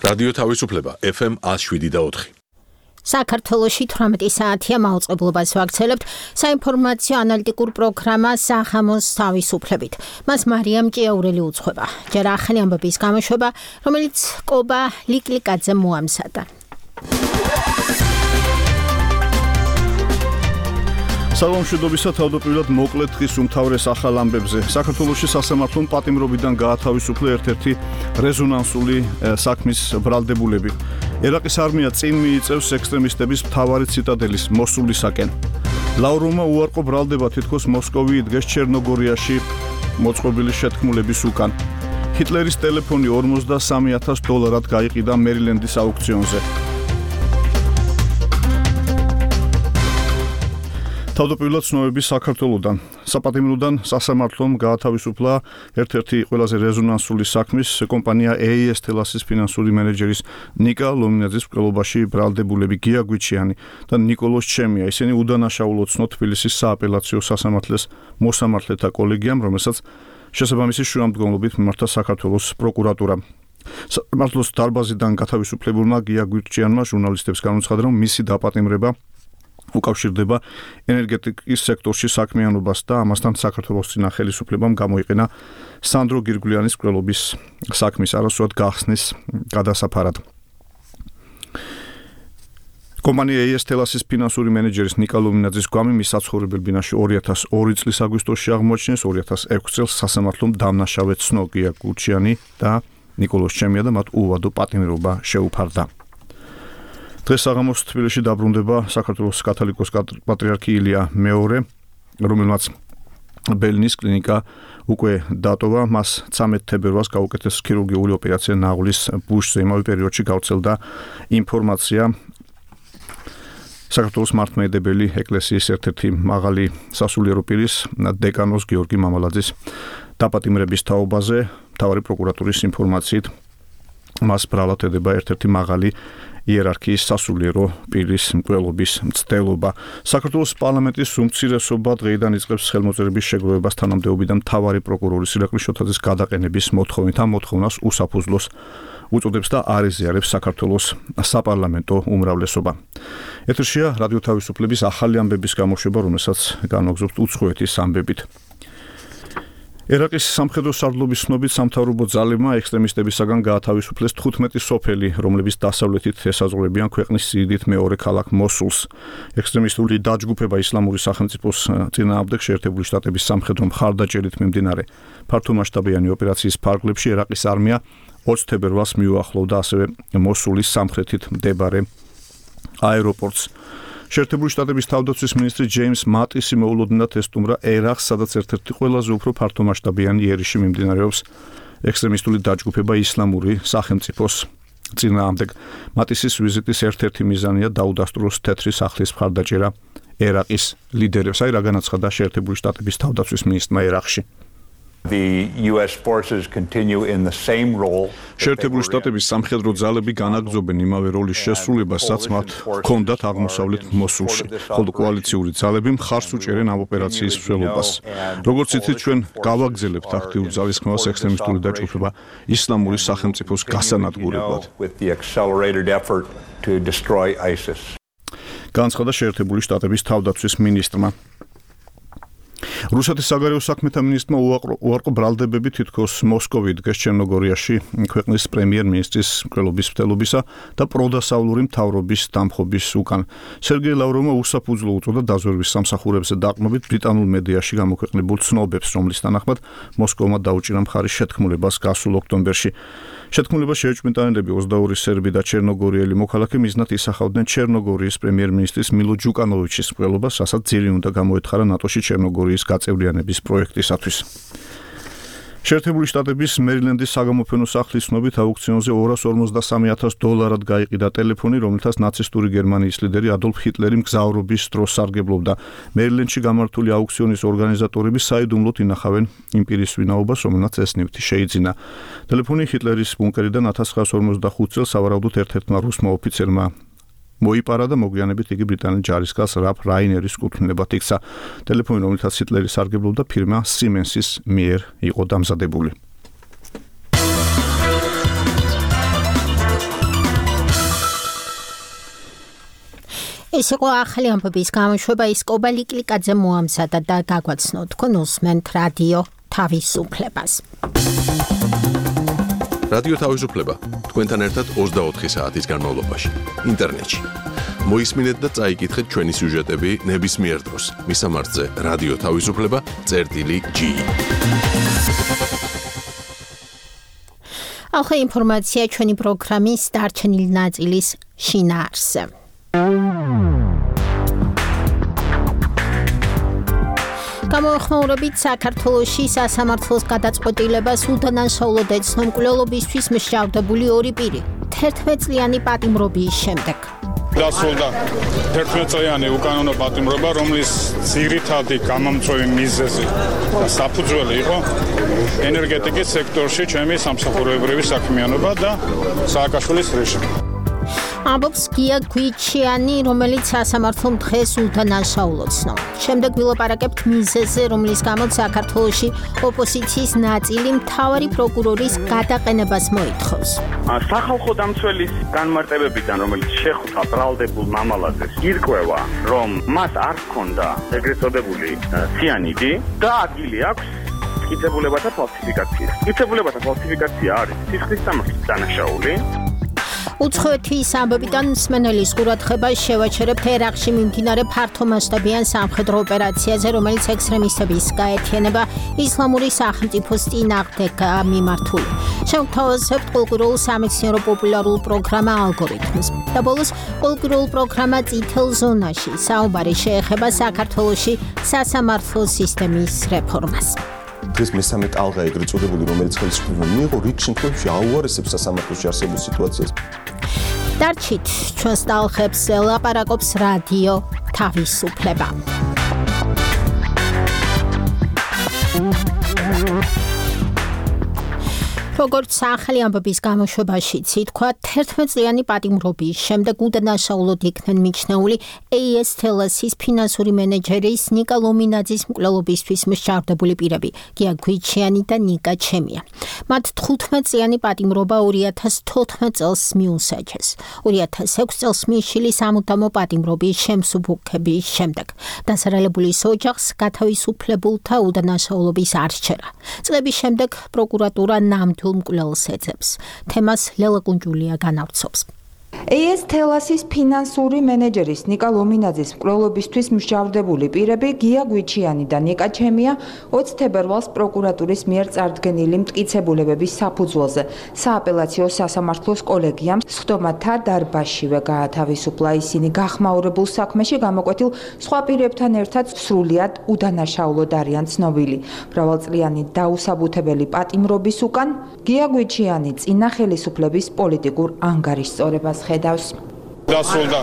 რადიო თავისუფლება FM 107.4. საქართველოში 18 საათია მაუწყებლობას ვაქცელებთ საინფორმაციო ანალიტიკურ პროგრამა სახამოს თავისუფლებით. მას მარიამ ჭიაურელი უძღვება. ჯერ ახალი ამბების გამოშვება, რომელიც კობა ლიკლიკაძემ მოამზადა. საგანმანათლებლობისა თავდაპირველად მოკლედ დღის უმთავრეს ახალ ამბებზე. საქართველოში სასამართლომ პატიმრობიდან გაათავისუფლა ერთ-ერთი რეზონანსული საქმის ბრალდებულები. ერაყის არმია წინ მიიწევს ექსტრემისტების მთავარი ციტადელის მოსულისაკენ. ლავროვმა უარყო ბრალდება თითქოს მოსკოვი იდგეს ჩერნოგორიაში მოწყობილი შეთქმულების უკან. ჰიტლერის ტელეფონი $43,000 გაიყიდა მერილენდის აუქციონზე. თავდაპირველად ცნობები საქართველოდან. საპატიმროდან სასამართლომ გაათავისუფლა ერთ-ერთი ყველაზე რეზონანსული საქმის კომპანია AES Telas-ის ფინანსური მენეჯერის ნიკა ლომინაძის მკვლელობაში ბრალდებულები გია გვიჩიანი და ნიკოლოზ ჩემია. ისინი უდანაშაულოდ ცნო თბილისის სააპელაციო სასამართლოს მოსამართლეთა კოლეგიამ, რომელსაც შესაბამისი შუამდგომლობით მიმართა საქართველოს პროკურატურა. სამართლოს დარბაზიდან გათავისუფლებულმა გია გვიჩიანმა ჟურნალისტებს განუცხადა, რომ მისი დაპატიმრება უკავშირდება ენერგეტიკის სექტორში საქმიანობას და ამასთან საქართველოს წინა ხელისუფლებამ გამოიყენა სანდრო გირგვლიანის მკვლელობის საქმის არასრულად გახსნის გადასაფარად. კომპანია AES Telas-ის ფინანსური მენეჯერის ნიკა ლომინაძის გვამი მის საცხოვრებელ ბინაში 2002 წლის აგვისტოში აღმოაჩინეს, 2006 წელს სასამართლომ დამნაშავედ ცნო გია გვიჩიანი და ნიკოლოზ ჩემია და მათ უვადო პატიმრობა შეუფარდა. დღეს საღამოს თბილისში დაბრუნდება საქართველოს კათოლიკოს პატრიარქი ილია მეორე, რომელმაც ბელინის კლინიკა უკვე დატოვა. მას 13 თებერვალს გაუკეთეს ქირურგიული ოპერაცია ნაღლის ბუშზე. იმავე პერიოდში გავრცელდა ინფორმაცია საქართველოს მართლმადიდებელი ეკლესიის ერთ-ერთი მაღალი სასულიერო პირის დეკანოს გიორგი მამალაძის დაპატიმრების თაობაზე. მთავარი პროკურატურის ინფორმაციით მას ბრალად ედება ერთ-ერთი მაღალი იერარქიის სასულიერო პირის მკვლელობის მცდელობა. საქართველოს პარლამენტის უმცირესობა დღეიდან იწყებს ხელმოწერების შეგროვებას თანამდებობიდან მთავარი პროკურორის ირაკლი შოთაძის გადაყენების მოთხოვნით. ამ მოთხოვნას უსაფუძვლოს უწოდებს და არ ეზიარებს საქართველოს საპარლამენტო უმრავლესობა. ეთერშია რადიო თავისუფლების ახალი ამბების გამოშვება, რომელსაც განვაგრძობთ უცხოეთის ამბებით. ერაყის სამხედრო სარდლობის ცნობით სამთავრობო ძალებმა ექსტრემისტებისაგან გაათავისუფლეს 15 სოფელი, რომლებიც დასავლეთით ესაზღვრებიან ქვეყნის სიდიდით მეორე ქალაქ მოსულს. ექსტრემისტული დაჯგუფება ისლამური სახელმწიფოს წინააღმდეგ შეერთებული შტატების სამხედრო მხარდაჭერით მიმდინარე ფართომასშტაბიანი ოპერაციის ფარგლებში ერაყის არმია 20 თებერვალს მიუახლოვდა ასევე მოსულის სამხრეთით მდებარე აეროპორტს. შეერთებული შტატების თავდაცვის მინისტრი ჯეიმს მატისი მოულოდნელად ესტუმრა ერაყს, სადაც ერთ-ერთი ყველაზე უფრო ფართომასშტაბიანი იერიში მიმდინარეობს ექსტრემისტული დაჯგუფება ისლამური სახელმწიფოს წინააღმდეგ. მატისის ვიზიტის ერთ-ერთი მიზანია დაუდასტუროს თეთრი სახლის მხარდაჭერა ერაყის ლიდერებს. აი რა განაცხადა შეერთებული შტატების თავდაცვის მინისტრმა ერაყში. The US forces continue in the same role. შეერთებული შტატების სამხედრო ძალები განაგრძობენ იმავე როლის შესრულებას, რაც მათ ჰქონდათ აღმოსავლეთ მოსულში, ხოლო კოალიციური ძალები მხარს უჭერენ ამ ოპერაციის მსვლელობას. როგორც იცით, ჩვენ გავაგრძელებთ აქტიურ ძალისხმევას ექსტრემისტული დაჯგუფება ისლამური სახელმწიფოს გასანადგურებლად. განაცხადა შეერთებული შტატების თავდაცვის მინისტრმა. რუსეთის საგარეო საქმეთა მინისტრმა უარყო ბრალდებები თითქოს მოსკოვი იდგეს ჩერნოგორიაში ქვეყნის პრემიერ-მინისტრის მკვლელობის მცდელობისა და პროდასავლური მთავრობის დამხობის უკან. სერგეი ლავროვმა უსაფუძვლო უწოდა დაზვერვის სამსახურებზე დაყრდნობით ბრიტანულ მედიაში გამოქვეყნებულ ცნობებს, რომლის თანახმად მოსკოვმა დაუჭირა მხარი შეთქმულებას გასულ ოქტომბერში. შეთქმულებას შეეჭვმიტანილები 22 სერბი და ჩერნოგორიელი მოქალაქე მიზნად ისახავდნენ ჩერნოგორიის პრემიერ-მინისტრის მილო ჯუკანოვიჩის მკვლელობას, რასაც ძირი უნდა გამოეთხარა ნატოში ჩერნოგორიის გაწევრიანების პროექტისათვის. შეერთებული შტატების მერილენდის საგამოფენო სახლის ცნობით აუქციონზე $253,000 გაიყიდა ტელეფონი, რომელთაც ნაცისტური გერმანიის ლიდერი ადოლფ ჰიტლერი მგზავრობის დროს სარგებლობდა. მერილენდში გამართული აუქციონის ორგანიზატორები საიდუმლოდ ინახავენ იმ პირის ვინაობას, რომელმაც ეს ნივთი შეიძინა. ტელეფონი ჰიტლერის ბუნკერიდან 1945 წელს სავარაუდოდ ერთ-ერთმა რუსმა ოფიცერმა მოიპარა და მოგვიანებით იგი ბრიტანელ ჯარისკაცს რალფ რაინერის კუთვნილებად იქცა. ტელეფონი, რომელთაც ჰიტლერი სარგებლობდა, ფირმა Siemens-ის მიერ იყო დამზადებული. ეს იყო ახალი ამბების გამოშვება, ის კობა ლიკლიკაძე მოამზადა და გაგვაცნო თქვენ უსმენთ რადიო თავისუფლებას. რადიო თავისუფლება თქვენთან ერთად 24 საათის განმავლობაში ინტერნეტში. მოისმინეთ და წაიკითხეთ ჩვენი სიუჟეტები ნებისმიერ დროს მისამართზე რადიო თავისუფლება.gi. ახლა ინფორმაცია ჩვენი პროგრამის დარჩენილი ნაწილის შინაარსზე. გამოეხმაურებით საქართველოში სასამართლოს გადაწყვეტილებას უდანაშაულოდ ეცნო მკვლელობისთვის მსჯავრდებული ორი პირი 11 წლიანი პატიმრობის შემდეგ. დასრულდა 11 წლიანი უკანონო პატიმრობა, რომლის ძირითადი გამომწვევი მიზეზი და საფუძველი იყო ენერგეტიკის სექტორში ჩემი სამსახურებრივი საქმიანობა და სააკაშვილის რეჟიმი. ამბობს გია გვიჩიანი, რომელიც სასამართლომ დღეს უდანაშაულოცნო. შემდეგ ვილაპარაკებთ მიზეზზე, რომლის გამოც საქართველოში ოპოზიციის ნაწილი მთავარი პროკურორის გადაყენებას მოითხოვს. სახალხო დამცველის განმარტებებიდან, რომელიც შეხვდა ბრალდებულ მამალაძეს, ირკვევა, რომ მას არ ჰქონდა ეგრეთ წოდებული ციანიდი და ადგილი აქვს მტკიცებულებათა ფალსიფიკაციის. მტკიცებულებათა ფალსიფიკაცია არის სისხლის სამართლის დანაშაული. უცხოეთის ამბებიდან მსმენელის ყურადღებას შევაჩერებთ ერაყში მიმდინარე ფართომასშტაბიან სამხედრო ოპერაციაზე, რომელიც ექსტრემისტების გაერთიანება ისლამური სახელმწიფოს წინააღმდეგ მიმართული. შევთავაზებთ კულტურულ სამეცნიერო პოპულარულ პროგრამა ალგორითმს. და ბოლოს კულტურულ პროგრამა წითელ ზონაში საუბარი შეეხება საქართველოში სასამართლო სისტემის რეფორმას. დღეს მესამე ტალღა ეგრეთ წოდებული, რომელიც ხელისუფლება მიიღო, რიგ შემთხვევაში აუარესებს სასამართლოში არსებულ სიტუაციას. დარჩით ჩვენს ტალღებს ლაპარაკობს რადიო თავისუფლება. როგორც ახალი ამბების გამოშვებაშიც ითქვა, 11 წლიანი პატიმრობის შემდეგ უდანაშაულოდ იქნენ მიჩნეული AES Telas-ის ფინანსური მენეჯერის ნიკა ლომინაძის მკვლელობისთვის მსჯავრდებული პირები, გია გვიჩიანი და ნიკა ჩემია. მათ 15 წლიანი პატიმრობა 2014 წელს მიუსაჯეს. 2006 წელს მიშილი სამუდამო პატიმრობის შემსუბუქების შემდეგ. დასარალებულის ოჯახს გათავისუფლებულთა უდანაშაულობის არ სჯერა. წლების შემდეგ პროკურატურა ნამდვილ მკვლელს ეძებს. თემას ლელა კუნჯულია განავრცობს. AES Telas-ის ფინანსური მენეჯერის ნიკა ლომინაძის მკვლელობისთვის მსჯავრდებული პირები გია გვიჩიანი და ნიკა ჩემია 20 თებერვალს პროკურატურის მიერ წარდგენილი მტკიცებულებების საფუძველზე სააპელაციო სასამართლოს კოლეგიამ სხდომათა დარბაზშივე გაათავისუფლა. ისინი გახმაურებულ საქმეში გამოკვეთილ სხვა პირებთან ერთად სრულიად უდანაშაულოდ არიან ცნობილი. მრავალწლიანი დაუსაბუთებელი პატიმრობის უკან გია გვიჩიანი წინა ხელისუფლების პოლიტიკურ ანგარიშწორებას ხედავს. დასრულდა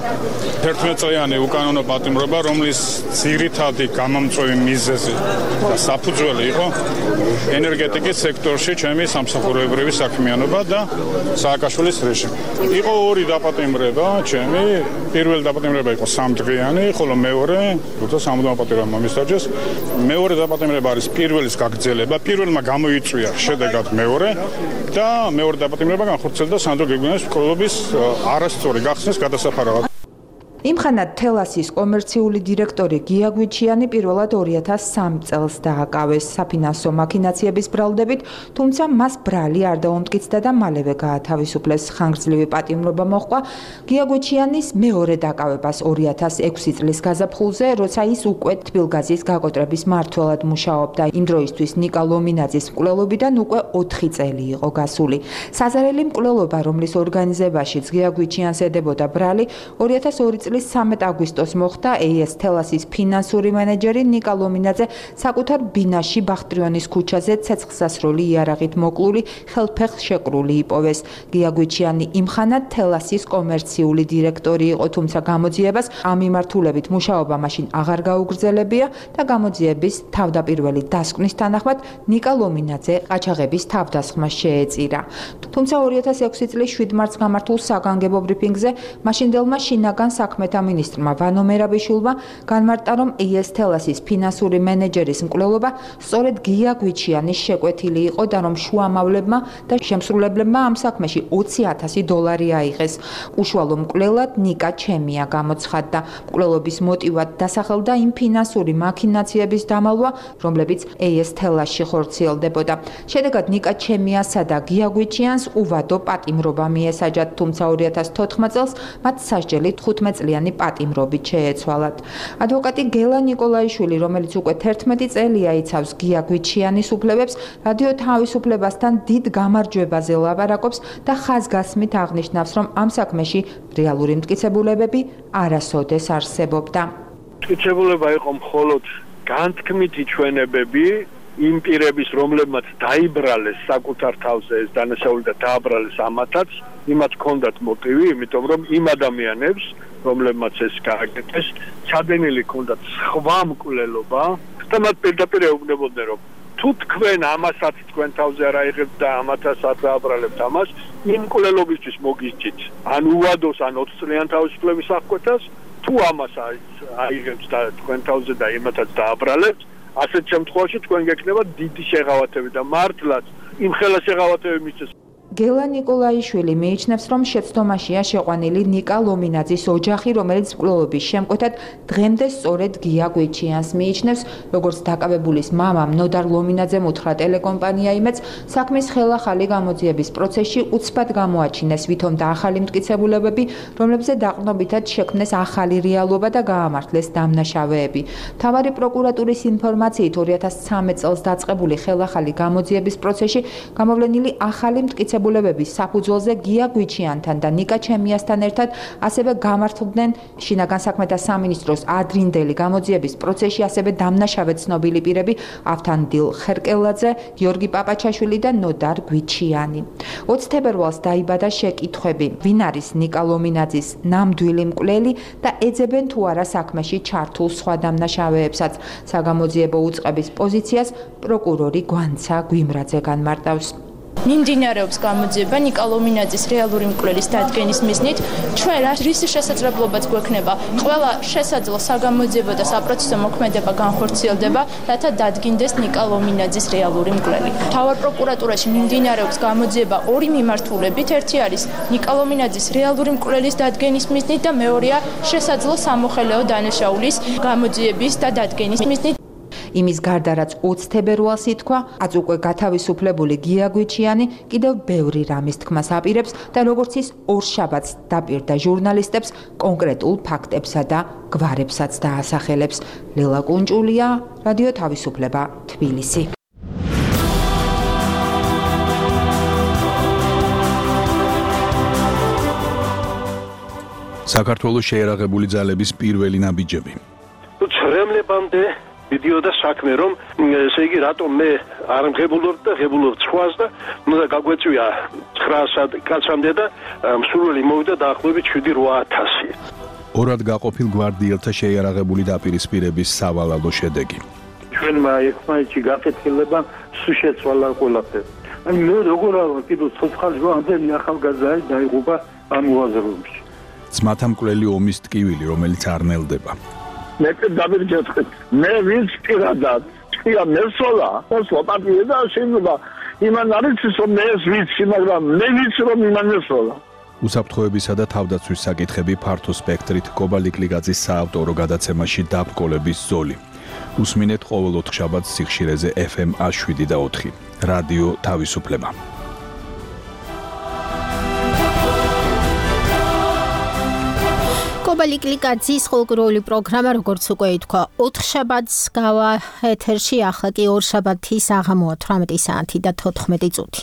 11 წლიანი უკანონო პატიმრობა, რომლის ძირითადი გამომწვევი მიზეზი და საფუძველი იყო ენერგეტიკის სექტორში ჩემი სამსახურებრივი საქმიანობა და სააკაშვილის რეჟიმი. იყო ორი დაპატიმრება, ჩემი პირველი დაპატიმრება იყო 3 დღიანი, ხოლო მეორე, როცა სამუდამო პატიმრობა მისაჯეს, მეორე დაპატიმრება არის პირველის გაგრძელება. პირველმა გამოიწვია შედეგად მეორე და მეორე დაპატიმრება განხორციელდა სანდრო გეგმიანის მკვლელობის არასწორი გახსნის გადასაფარავად. იმხანად Telas-ის კომერციული დირექტორი გია გვიჩიანი პირველად 2003 წელს დააკავეს საფინანსო მაქინაციების ბრალდებით, თუმცა მას ბრალი არ დაუმტკიცდა და მალევე გაათავისუფლეს. ხანგრძლივი პატიმრობა მოჰყვა გია გვიჩიანის მეორე დაკავებას 2006 წლის გაზაფხულზე, როცა ის უკვე თბილგაზის გაკოტრების მმართველად მუშაობდა. იმ დროისთვის ნიკა ლომინაძის მკვლელობიდან უკვე 4 წელი იყო გასული. საზარელი მკვლელობა, რომლის ორგანიზებაშიც გია გვიჩიანს ედებოდა ბრალი, 2002 წლის 13 აგვისტოს მოხდა. AES Telas-ის ფინანსური მენეჯერი ნიკა ლომინაძე საკუთარ ბინაში ბახტრიონის ქუჩაზე ცეცხლსასროლი იარაღით მოკლული ხელფეხს შეკრული იპოვეს. გია გვიჩიანი იმხანად Telas-ის კომერციული დირექტორი იყო, თუმცა გამოძიებას ამ მიმართულებით მუშაობა მაშინ აღარ გაუგრძელებია და გამოძიების თავდაპირველი დასკვნის თანახმად ნიკა ლომინაძე ყაჩაღების თავდასხმას შეეწირა. თუმცა 2006 წლის 7 მარტს გამართულ საგანგებო ბრიფინგზე მაშინდელმა შინაგან საქმე საქმეთა მინისტრმა ვანო მერაბიშვილმა განმარტა, რომ ES Telas-ის ფინანსური მენეჯერის მკვლელობა სწორედ გია გვიჩიანის შეკვეთილი იყო და რომ შუამავლებმა და შემსრულებლებმა ამ საქმეში $20,000 აიღეს. უშუალო მკვლელად ნიკა ჩემია გამოცხადდა. მკვლელობის მოტივად დასახელდა იმ ფინანსური მაქინაციების დამალვა, რომლებიც ES Telas-ში ხორციელდებოდა. შედეგად ნიკა ჩემიასა და გია გვიჩიანს უვადო პატიმრობა მიესაჯათ, თუმცა 2014 წელს მათ სასჯელი 15 წლიანი პატიმრობით შეეცვალათ. ადვოკატი გელა ნიკოლაიშვილი, რომელიც უკვე 11 წელია იცავს გია გვიჩიანის უფლებებს, რადიო თავისუფლებასთან დიდ გამარჯვებაზე ლაპარაკობს და ხაზგასმით აღნიშნავს, რომ ამ საქმეში რეალური მტკიცებულებები არასოდეს არსებობდა. მტკიცებულება იყო მხოლოდ განთქმითი ჩვენებები იმ პირების, რომლებმაც დაიბრალეს საკუთარ თავზე ეს დანაშაული და დააბრალეს ამათაც, იმათ ჰქონდათ მოტივი, იმიტომ რომ იმ ადამიანებს, რომლებმაც ეს გააკეთეს, ჩადენილი ჰქონდათ სხვა მკვლელობა და მათ პირდაპირ ეუბნებოდნენ, რომ თუ თქვენ ამასაც თქვენ თავზე არ აიღებთ და ამათაც არ დააბრალებთ ამას, იმ მკვლელობისთვის მოგისჭით ან უვადოს, ან 20 წლიან თავისუფლების აღკვეთას, თუ ამას აიღებთ და თქვენ თავზე და იმათაც დააბრალებთ, ასეთ შემთხვევაში თქვენ გექნება დიდი შეღავათები და მართლაც იმ ხელა შეღავათები მისცეს. გელა ნიკოლაიშვილი მიიჩნევს, რომ შეცდომაშია შეყვანილი ნიკა ლომინაძის ოჯახი, რომელიც მკვლელობის შემკვეთად დღემდე სწორედ გია გვიჩიანს მიიჩნევს, როგორც დაკავებულის მამამ ნოდარ ლომინაძემ უთხრა ტელეკომპანია იმედს, საქმის ხელახალი გამოძიების პროცესში უცბად გამოაჩინეს ვითომ და ახალი მტკიცებულებები, რომლებზე დაყრდნობითად შექმნეს ახალი რეალობა და გაამართლეს დამნაშავეები. მთავარი პროკურატურის ინფორმაციით 2013 წელს დაწყებული ხელახალი გამოძიების პროცესში გამოვლენილი ახალი მტკიცებულებები საფუძველზე გია გვიჩიანთან და ნიკა ჩემიასთან ერთად ასევე გამართლდნენ შინაგან საქმეთა სამინისტროს ადრინდელი გამოძიების პროცესში ასევე დამნაშავე ცნობილი პირები ავთანდილ ხერკელაძე, გიორგი პაპაჩაშვილი და ნოდარ გვიჩიანი. 20 თებერვალს დაიბადა შეკითხვები, ვინ არის ნიკა ლომინაძის ნამდვილი მკვლელი და ეძებენ თუ არა საქმეში ჩართულ სხვა დამნაშავეებსაც. საგამოძიებო უწყების პოზიციას პროკურორი გვანცა გვიმრაძე განმარტავს. მიმდინარეობს გამოძიება ნიკა ლომინაძის რეალური მკვლელის დადგენის მიზნით. ჩვენ რის შესაძლებლობაც გვექნება ყველა შესაძლო საგამოძიებო და საპროცესო მოქმედება განხორციელდება, რათა დადგინდეს ნიკა ლომინაძის რეალური მკვლელი. მთავარ პროკურატურაში მიმდინარეობს გამოძიება ორი მიმართულებით. ერთი არის ნიკა ლომინაძის რეალური მკვლელის დადგენის მიზნით და მეორეა შესაძლო სამოხელეო დანაშაულის გამოძიების და დადგენის მიზნით. იმის გარდა რაც 20 თებერვალს ითქვა, აც უკვე გათავისუფლებული გია გვიჩიანი კიდევ ბევრი რამის თქმას აპირებს და როგორც ის ორშაბათს დაპირდა ჟურნალისტებს კონკრეტულ ფაქტებსა და გვარებსაც დაასახელებს. ლელა კუნჭულია, რადიო თავისუფლება, თბილისი. საქართველოს შეერაღებული ძალების პირველი ნაბიჯები. ცრემლებამდე მიდიოდა საქმე, რომ ესე იგი რატომ მე არ მღებულობ და ღებულობ სხვას და უნდა გაგვეწვია 900 კაცამდე და მსურველი მოვიდა დაახლოებით 7-8000. ორად გაყოფილ გვარდიელთა შეიარაღებული დაპირისპირების სავალალო შედეგი. ჩვენმა ერთმანეთში გაკეთილება სულ შეცვალა ყველაფერი. აი მე როგორ არა კიდევ ცოცხალი ამდენი ახალგაზრდა დაიღუპა ამ უაზროებში. ძმათა მკვლელი ომის ტკივილი, რომელიც არ ნელდება. მე დავირჯეთქეთ. მე ვინც პირადად ჭია მესოლა, ოსო პარტია და შეიძლება იმან არის რომ მე ვიცი, მაგრამ მე ვიცი რომ იმან მესოლა. უსაფრთხოებისა და თავდაცვის საკითხები ფართო სპექტრით კობალიკლიგაძის საავტორო გადაცემაში დაბრკოლების ზოლი. უსმინეთ ყოველ 4 შაბათს სიხშირეზე FM 107 და 4. რადიო თავისუფლება. კობალიკლიგაძის ხალხური პროგრამა, როგორც უკვე ითქვა, 4 შაბათს გავა ეთერში, ახლა კი 2 შაბათი საღამოა 18 საათი და 14 წუთი.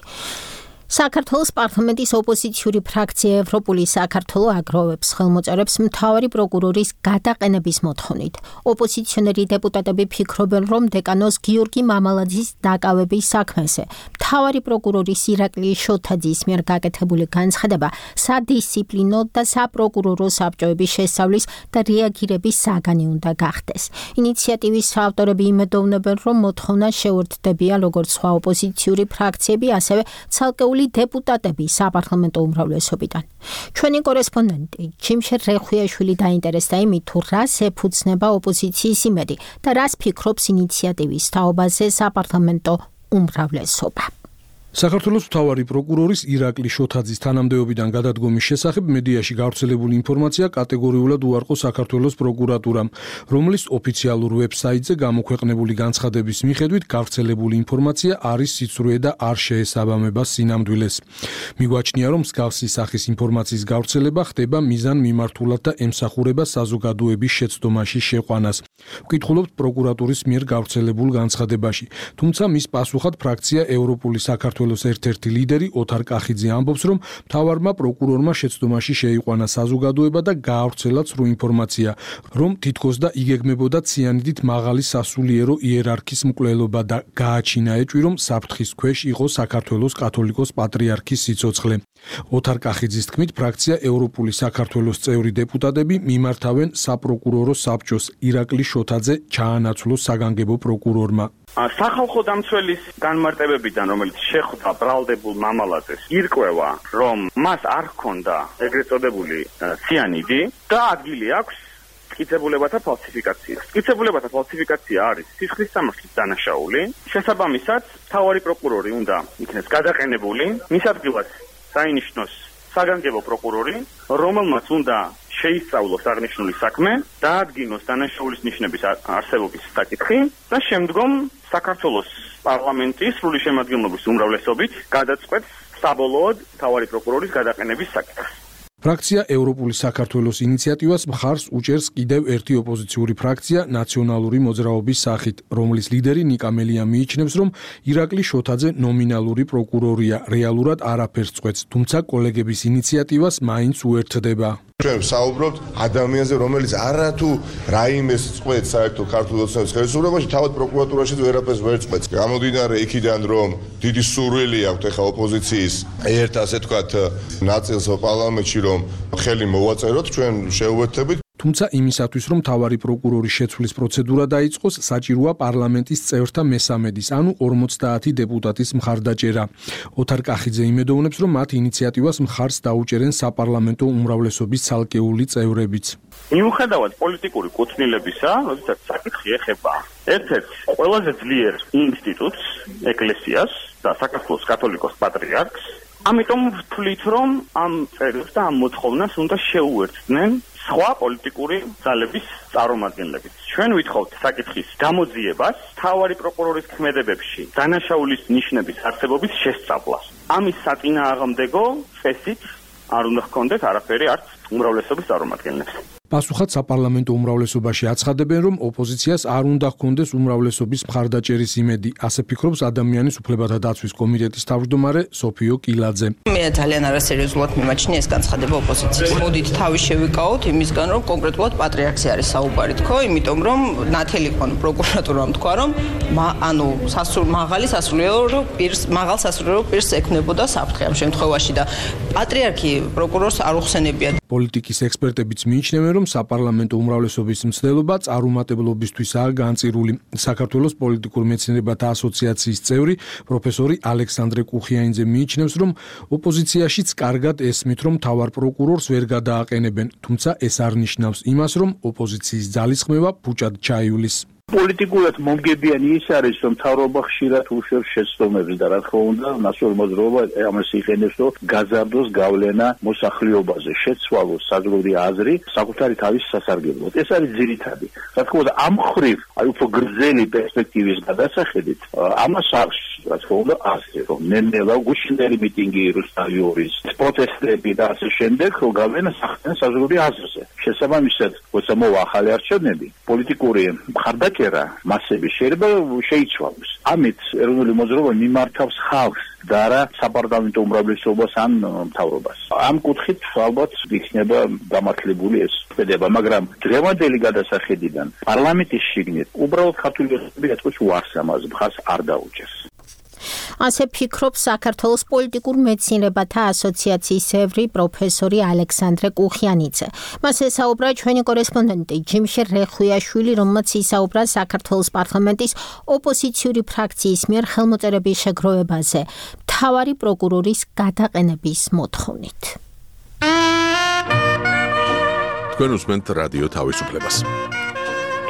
საქართველოს პარლამენტის ოპოზიციური ფრაქცია ევროპული საქართველო აგროვებს ხელმოწერებს მთავარი პროკურორის გადაყენების მოთხოვნით. ოპოზიციონერი დეპუტატები ფიქრობენ, რომ დეკანოს გიორგი მამალაძის დაკავების საქმეზე მთავარი პროკურორის ირაკლი შოთაძის მიერ გაკეთებული განცხადება სადისციპლინო და საპროკურორო საბჭოების შესწავლის და რეაგირების საგანი უნდა გახდეს. ინიციატივის ავტორები იმედოვნებენ, რომ მოთხოვნა შეუერთდებიან როგორც სხვა ოპოზიციური ფრაქციები, ასევე ცალკეული დეპუტატები საპარლამენტო უმრავლესობიდან. ჩვენი კორესპონდენტი ჩიმშე რეხვიაშვილი დაინტერესდა იმით, თუ რას ეფუძნება ოპოზიციის იმედი და რას ფიქრობს ინიციატივის თაობაზე საპარლამენტო უმრავლესობა. საქართველოს მთავარი პროკურორის ირაკლი შოთაძის თანამდებობიდან გადადგომის შესახებ მედიაში გავრცელებული ინფორმაცია კატეგორიულად უარყო საქართველოს პროკურატურამ, რომლის ოფიციალურ ვებსაიტზე გამოქვეყნებული განცხადების მიხედვით გავრცელებული ინფორმაცია არის სიცრუე და არ შეესაბამება სინამდვილეს. მიგვაჩნია, რომ მსგავსი სახის ინფორმაციის გავრცელება ხდება მიზანმიმართულად და ემსახურება საზოგადოების შეცდომაში შეყვანას. ვკითხულობთ პროკურატურის მიერ გავრცელებულ განცხადებაში, თუმცა მის პასუხად ფრაქცია ევროპული საქართველოს ერთ-ერთი ლიდერი ოთარ კახიძე ამბობს, რომ მთავარმა პროკურორმა შეცდომაში შეიყვანა საზოგადოება და გაავრცელა ცრუ ინფორმაცია, რომ თითქოს და იგეგმებოდა ციანიდით მაღალი სასულიერო იერარქის მკვლელობა და გააჩინა ეჭვი, რომ საფრთხის ქვეშ იყო საქართველოს კათოლიკოს პატრიარქის სიცოცხლე. ოთარ კახიძის თქმით, ფრაქცია ევროპული საქართველოს წევრი დეპუტატები მიმართავენ საპროკურორო საბჭოს ირაკლი შოთაძე ჩაანაცვლოს საგანგებო პროკურორმა. სახალხო დამცველის განმარტებებიდან, რომელიც შეხვდა ბრალდებულ მამალაძეს, ირკვევა, რომ მას არ ჰქონდა ეგრეთ წოდებული ციანიდი და ადგილი აქვს მტკიცებულებათა ფალსიფიკაციას. მტკიცებულებათა ფალსიფიკაცია არის სისხლის სამართლის დანაშაული. შესაბამისად, მთავარი პროკურორი უნდა იქნეს გადაყენებული, მის ადგილას საინიშნოს საგანგებო პროკურორი, რომელმაც უნდა შეისწავლოს აღნიშნული საქმე, დაადგინოს დანაშაულის ნიშნების არსებობის საკითხი და შემდგომ საქართველოს პარლამენტის სრული შემადგენლობის უმრავლესობით გადაწყვეტს საბოლოოდ მთავარი პროკურორის გადაყენების საკითხს. ფრაქცია ევროპული საქართველოს ინიციატივას მხარს უჭერს კიდევ ერთი ოპოზიციური ფრაქცია ნაციონალური მოძრაობის სახით, რომლის ლიდერი ნიკა მელია მიიჩნევს, რომ ირაკლი შოთაძე ნომინალური პროკურორია, რეალურად არაფერს წყვეტს, თუმცა კოლეგების ინიციატივას მაინც უერთდება. ჩვენ ვსაუბრობთ ადამიანზე, რომელიც არათუ რაიმეს წყვეტს საერთო ქართულ ოცნების ხელისუფლებაში, თავად პროკურატურაშიც ვერაფერს ვერ წყვეტს. გამომდინარე იქიდან, რომ დიდი სურვილი აქვს ეხა ოპოზიციის ერთ ასე თქვათ ნაწილს პარლამენტში, რომ ხელი მოვაწეროთ, ჩვენ შეუერთდებით. თუმცა იმისათვის, რომ მთავარი პროკურორის შეცვლის პროცედურა დაიწყოს, საჭიროა პარლამენტის წევრთა მესამედის, ანუ 50 დეპუტატის მხარდაჭერა. ოთარ კახიძე იმედოვნებს, რომ მათ ინიციატივას მხარს დაუჭერენ საპარლამენტო უმრავლესობის ცალკეული წევრებიც. მიუხედავად პოლიტიკური კუთვნილებისა, როდესაც საკითხი ეხება ერთ-ერთ ყველაზე ძლიერ ინსტიტუტს, ეკლესიას და საქართველოს კათოლიკოს პატრიარქს, ამიტომ ვთვლით, რომ ამ წერილს და ამ მოთხოვნას უნდა შეუერთდნენ სხვა პოლიტიკური ძალების წარმომადგენლებით. ჩვენ ვითხოვთ საკითხის გამოძიებას, მთავარი პროკურორის ქმედებებში დანაშაულის ნიშნების არსებობის შესწავლას. ამის საწინააღმდეგო წესით არ უნდა ჰქონდეთ არაფერი არც უმრავლესობის წარმომადგენლებს. პასუხად საპარლამენტო უმრავლესობაში აცხადებენ, რომ ოპოზიციას არ უნდა ჰქონდეს უმრავლესობის მხარდაჭერის იმედი, ასე ფიქრობს ადამიანის უფლებათა დაცვის კომიტეტის თავმჯდომარე სოფიო კილაძე. მე ძალიან არასერიოზულად მიმაჩნია ეს განცხადება ოპოზიციის. მოდით თავი შევიკავოთ იმისგან, რომ კონკრეტულად პატრიარქზე არის საუბარი თქო, იმიტომ რომ ნათელი ხონ პროკურატურამ თქვა, რომ ანუ მაღალ სასულიერო პირს ექნებოდა საფრთხე ამ შემთხვევაში და პატრიარქი პროკურორს არ უხსენებია. პოლიტიკის ექსპერტებიც მიიჩნევენ, რომ საპარლამენტო უმრავლესობის მცდელობა წარუმატებლობისთვისაა განწირული. საქართველოს პოლიტიკურ მეცნიერებათა ასოციაციის წევრი პროფესორი ალექსანდრე კუხიანიძე მიიჩნევს, რომ ოპოზიციაშიც კარგად ესმით, რომ მთავარ პროკურორს ვერ გადააყენებენ, თუმცა ეს არ ნიშნავს იმას, რომ ოპოზიციის ძალისხმევა ფუჭად ჩაივლის. პოლიტიკურად მომგებიანი ის არის, რომ მთავრობა ხშირად უშვებს შეცდომებს და რა თქმა უნდა, ნაციონალური მოძრაობა ამას იყენებს, რომ გაზარდოს გავლენა მოსახლეობაზე, შეცვალოს საზოგადოებრივი აზრი საკუთარი თავის სასარგებლოდ. ეს არის ძირითადი. რა თქმა უნდა, ამ ხრივ, აი უფრო გრძელი პერსპექტივის გადასახედით, ამას აქვს, რა თქმა უნდა, ასე, რომ ნელ-ნელა გუშინდელი მიტინგი რუსთავის, პროტესტები და ასე შემდეგ, რომ გავლენა ახდენენ საზოგადოებრივ აზრზე. შესაბამისად, როცა მოვა ახალი არჩევნები, პოლიტიკური მხარდაჭერა მასები შეიძლება შეიცვალოს. ამით ეროვნული მოძრაობა მიმართავს ხალხს და არა საპარლამენტო უმრავლესობას ან მთავრობას. ამ კუთხით ალბათ იქნება გამართლებული ეს წედება, მაგრამ დღევანდელი გადასახედიდან პარლამენტის შიგნით უბრალოდ ქართული ოცნები ეთქოს უარს ამას მხარს არ დაუჭერს. ასე ფიქრობს საქართველოს პოლიტიკურ მეცნიერებათა ასოციაციის წევრი პროფესორი ალექსანდრე კუხიანიძე. მას ესაუბრა ჩვენი კორესპონდენტი ჯიმშე რეხუიაშვილი, რომელმაც ისაუბრა საქართველოს პარლამენტის ოპოზიციური ფრაქციის მიერ ხელმოწერების შეგროვებაზე მთავარი პროკურორის გადაყენების მოთხოვნით. თქვენ უსმენთ რადიო თავისუფლებას.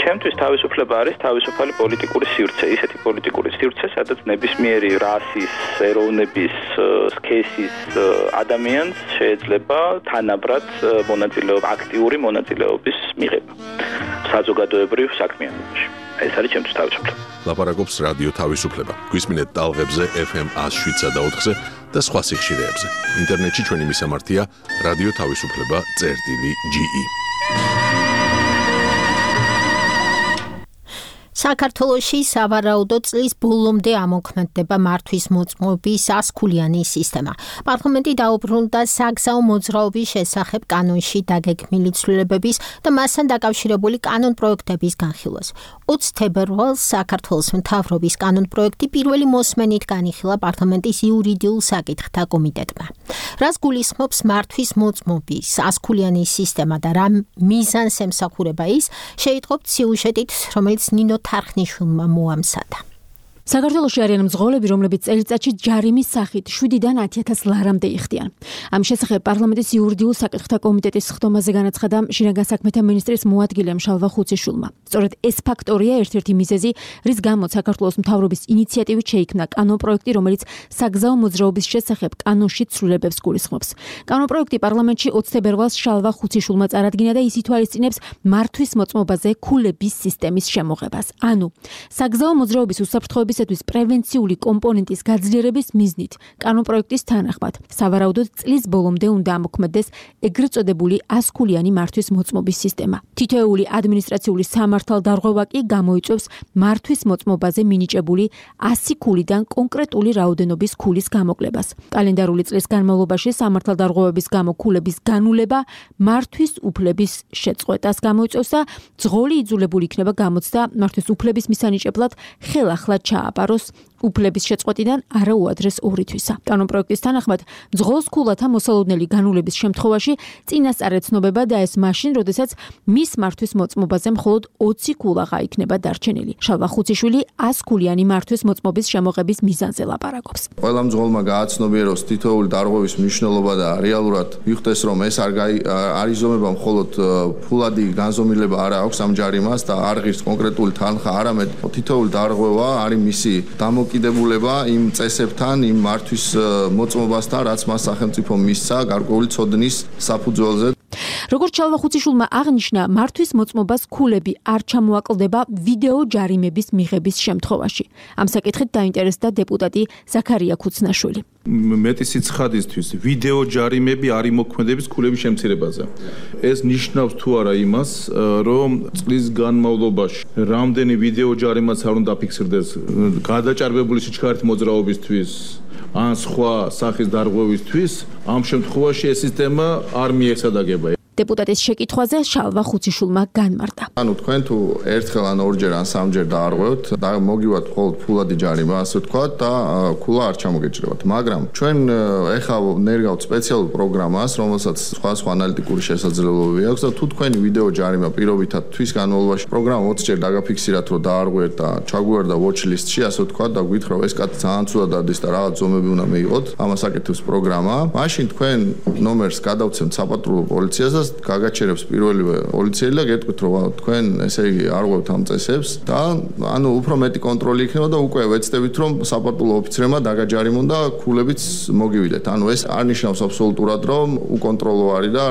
ჩემთვის თავისუფლება არის თავისუფალი პოლიტიკური სივრცე, ისეთი პოლიტიკური სივრცე, სადაც ნებისმიერი რასის, ეროვნების, სქესის ადამიანს შეიძლება თანაბრად აქტიური მონაწილეობის მიღება საზოგადოებრივ საქმიანობაში. ეს არის ჩემთვის თავისუფლება. ლაპარაკობს რადიო თავისუფლება. გვისმინეთ ტალღებზე FM 107.4-ზე და სხვა სიხშირეებზე. ინტერნეტში ჩვენი მისამართია რადიო თავისუფლება.ge. საქართველოში სავარაუდო წლის ბოლომდე ამოქმედდება მართვის მოწმობის 100-ქულიანი სისტემა. პარლამენტი დაუბრუნდა საგზაო მოძრაობის შესახებ კანონში დაგეგმილი ცვლილებების და მასთან დაკავშირებული კანონპროექტების განხილვას. 20 თებერვალს საქართველოს მთავრობის კანონპროექტი პირველი მოსმენით განიხილა პარლამენტის იურიდიულ საკითხთა კომიტეტმა. რას გულისხმობს მართვის მოწმობის 100-ქულიანი სისტემა და რა მიზანს ემსახურება ის, შეიტყობთ სიუჟეტით, რომელიც ნინო თარხნიშვილმა მოამზადა. საქართველოში არიან მძღოლები, რომლებიც წელიწადში ჯარიმის სახით 7-დან 10,000 ლარამდე იხდიან. ამ შესახებ პარლამენტის იურიდიულ საკითხთა კომიტეტის ხდომაზე განაცხადა შინაგან საქმეთა მინისტრის მოადგილე მშალვა ხუციშვილმა. სწორედ ეს ფაქტორია ერთ-ერთი მიზეზი, რის გამოც საქართველოს მთავრობის ინიციატივით შეიქმნა კანონპროექტი, რომელიც საგზაო მოძრაობის შესახებ კანონში ცვლილებებს გულისხმობს. კანონპროექტი პარლამენტში 20 თებერვალს მშალვა ხუციშვილმა წარადგინა და ის ითვალისწინებს მართვის მოწმობაზე ქულების სისტემის შემოღებას. ანუ საგზაო მოძრაობის უსაფრთხოების პრევენციული კომპონენტის გაძლიერების მიზნით კანონპროექტის თანახმად სავარაუდოდ წლის ბოლომდე უნდა ამოქმედდეს ეგრეთ წოდებული 100-ქულიანი მართვის მოწმობის სისტემა. თითოეული ადმინისტრაციული სამართალდარღვევა კი გამოიწვევს მართვის მოწმობაზე მინიჭებული 100 ქულიდან კონკრეტული რაოდენობის ქულის გამოკლებას. კალენდარული წლის განმავლობაში სამართალდარღვევების გამო ქულების განულება მართვის უფლების შეწყვეტას გამოიწვევს და ძღოლი იძულებული იქნება გამოცდა მართვის უფლების მისანიჭებლად ხელახლა ჩააბაროს უფლების შეწყვეტიდან არა უადრეს 2 თვისა. კანონპროექტის თანახმად ძღოლს ქულათა მოსალოდნელი განულების შემთხვევაში წინასწარ ეცნობება და ეს მაშინ, როდესაც მის მართვის მოწმობაზე მხოლოდ 20 ქულა იქნება დარჩენილი. შალვა ხუციშვილი 100-ქულიანი მართვის მოწმობის შემოღების მიზანზე ლაპარაკობს. ყველა მძღოლმა გააცნობიეროს თითოეული დარღვევის მნიშვნელობა და რეალურად მიხვდეს, რომ ეს არ იზომება მხოლოდ ფულადი განზომილება არა აქვს ამ ჯარიმას და არ ღირს კონკრეტული თანხა, არამედ თითოეული დარღვევა არის მისი დამოკიდებულება იმ წესებთან, იმ მართვის მოწმობასთან, რაც მას სახელმწიფო მისცა გარკვეული ცოდნის საფუძველზე. როგორც შალვა ხუციშვილმა აღნიშნა, მართვის მოწმობას ქულები არ ჩამოაკლდება ვიდეო ჯარიმების მიღების შემთხვევაში. ამ საკითხით დაინტერესდა დეპუტატი ზაქარია ქუცნაშვილი. მეტი სიცხადისთვის ვიდეო ჯარიმები არ იმოქმედებს ქულების შემცირებაზე. ეს ნიშნავს თუ არა იმას, რომ წლის განმავლობაში რამდენი ვიდეო ჯარიმაც არ უნდა დაფიქსირდეს გადაჭარბებული სიჩქარით მოძრაობისთვის ან სხვა სახის დარღვევისთვის, ამ შემთხვევაში ეს სისტემა არ მიესადაგება. დეპუტატის შეკითხვაზე შალვა ხუციშვილმა განმარტა. ანუ თქვენ თუ ერთხელ ან ორჯერ ან სამჯერ დაარღვევთ და მოგივათ მხოლოდ ფულადი ჯარიმა, ასე ვთქვათ, და ქულა არ ჩამოგეჭრებათ. მაგრამ ჩვენ ეხლა ნერგავთ სპეციალურ პროგრამას, რომელსაც სხვა ანალიტიკური შესაძლებლობები აქვს და თუ თქვენი ვიდეო ჯარიმა პირობითად თვის განმავლობაში პროგრამა 20 ჯერ დაგაფიქსირათ, რომ დაარღვევთ და ჩაგვიარდა watch list-ში, ასე ვთქვათ, და გითხრა, ეს კაცი ძალიან ცუდად დადის და რაღაც ზომები უნდა მიიღოთ, ამას აკეთებს პროგრამა. მაშინ თქვენ ნომერს გადავცემთ საპატრულო პოლიციას და გაგაჩერებს პირველივე პოლიციელი და გეტყვით, რომ თქვენ ესე იგი არღვევთ ამ წესებს და ანუ უფრო მეტი კონტროლი იქნება და უკვე ვეცდებით, რომ საპატრულო ოფიცრებმა დაგაჯარიმონ და ქულებიც მოგივიდეთ. ანუ ეს არ ნიშნავს აბსოლუტურად, რომ უკონტროლო არის და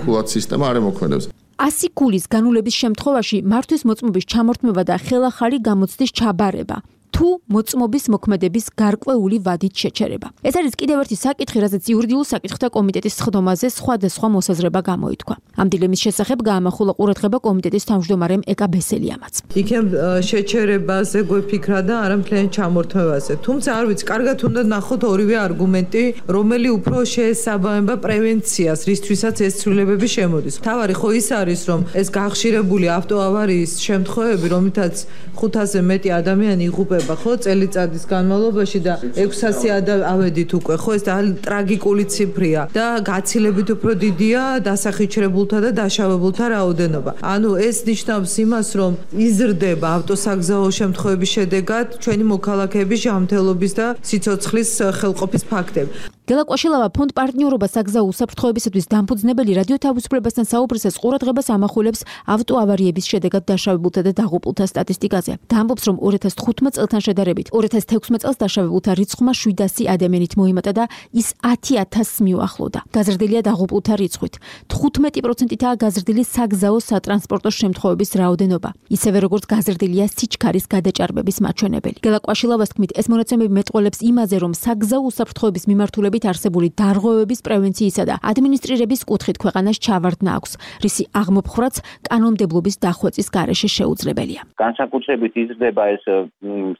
ქულაც სისტემა არ ემოქმედებს. 100 ქულის განულების შემთხვევაში მართვის მოწმობის ჩამორთმევა და ხელახალი გამოცდის ჩაბარება თუ მოწმობის მოქმედების გარკვეული ვადით შეჩერება. ეს არის კიდევ ერთი საკითხი, რაზეც იურიდიულ საკითხთა კომიტეტის ხდომაზე სხვადასხვა მოსაზრება გამოითქვა. ამ დილემის შესახებ გაამახვილა ყურადღება კომიტეტის თავმჯდომარემ ეკა ბესელიამაც. იქნებ შეჩერებაზე გვეფიქრა და არა მთლიან ჩამორთმევაზე. თუმცა არ ვიცი, კარგად უნდა ნახოთ ორივე არგუმენტი, რომელი უფრო შეესაბამება პრევენციას, რისთვისაც ეს ცვლილებები შემოდის. თავარი ხო ის არის, რომ ეს გახშირებული ავტოავარიის შემთხვევები, რომლითაც 500-ზე მეტი ადამიანი იღუპება ვითარდება ხო წელიწადის განმავლობაში და 600 ავედით უკვე ხო ეს ტრაგიკული ციფრია და გაცილებით უფრო დიდია დასახიჩრებულთა და დაშავებულთა რაოდენობა. ანუ ეს ნიშნავს იმას, რომ იზრდება ავტოსაგზაო შემთხვევების შედეგად ჩვენი მოქალაქეების ჟამთელობის და სიცოცხლის ხელყოფის ფაქტები. გელა კვაშილავა ფონდ პარტნიორობა საგზაო უსაფრთხოებისათვის დამფუძნებელი რადიო თავისუფლებასთან საუბრისას ყურადღებას ამახვილებს ავტოავარიების შედეგად დაშავებულთა და დაღუპულთა სტატისტიკაზე. და ამბობს, რომ 2015 წელთან შედარებით 2016 წელს დაშავებულთა რიცხვმა 700 ადამიანით მოიმატა და ის 10,000-ს მიუახლოვდა. გაზრდილია დაღუპულთა რიცხვით. 15%-ითაა გაზრდილი საგზაო სატრანსპორტო შემთხვევების რაოდენობა. ისევე როგორც გაზრდილია სიჩქარის გადაჭარბების მაჩვენებელი. გელა კვაშილავას თქმით, ეს მონაცემები მეტყველებს იმაზე, რომ საგზაო უსაფრთხოების მიმართულებით არსებული დარღვევების პრევენციისა და ადმინისტრირების კუთხით ქვეყანას ჩავარდნა აქვს, რისი აღმოფხვრაც კანონმდებლობის დახვეწის გარეშე შეუძლებელია. განსაკუთრებით იზრდება ეს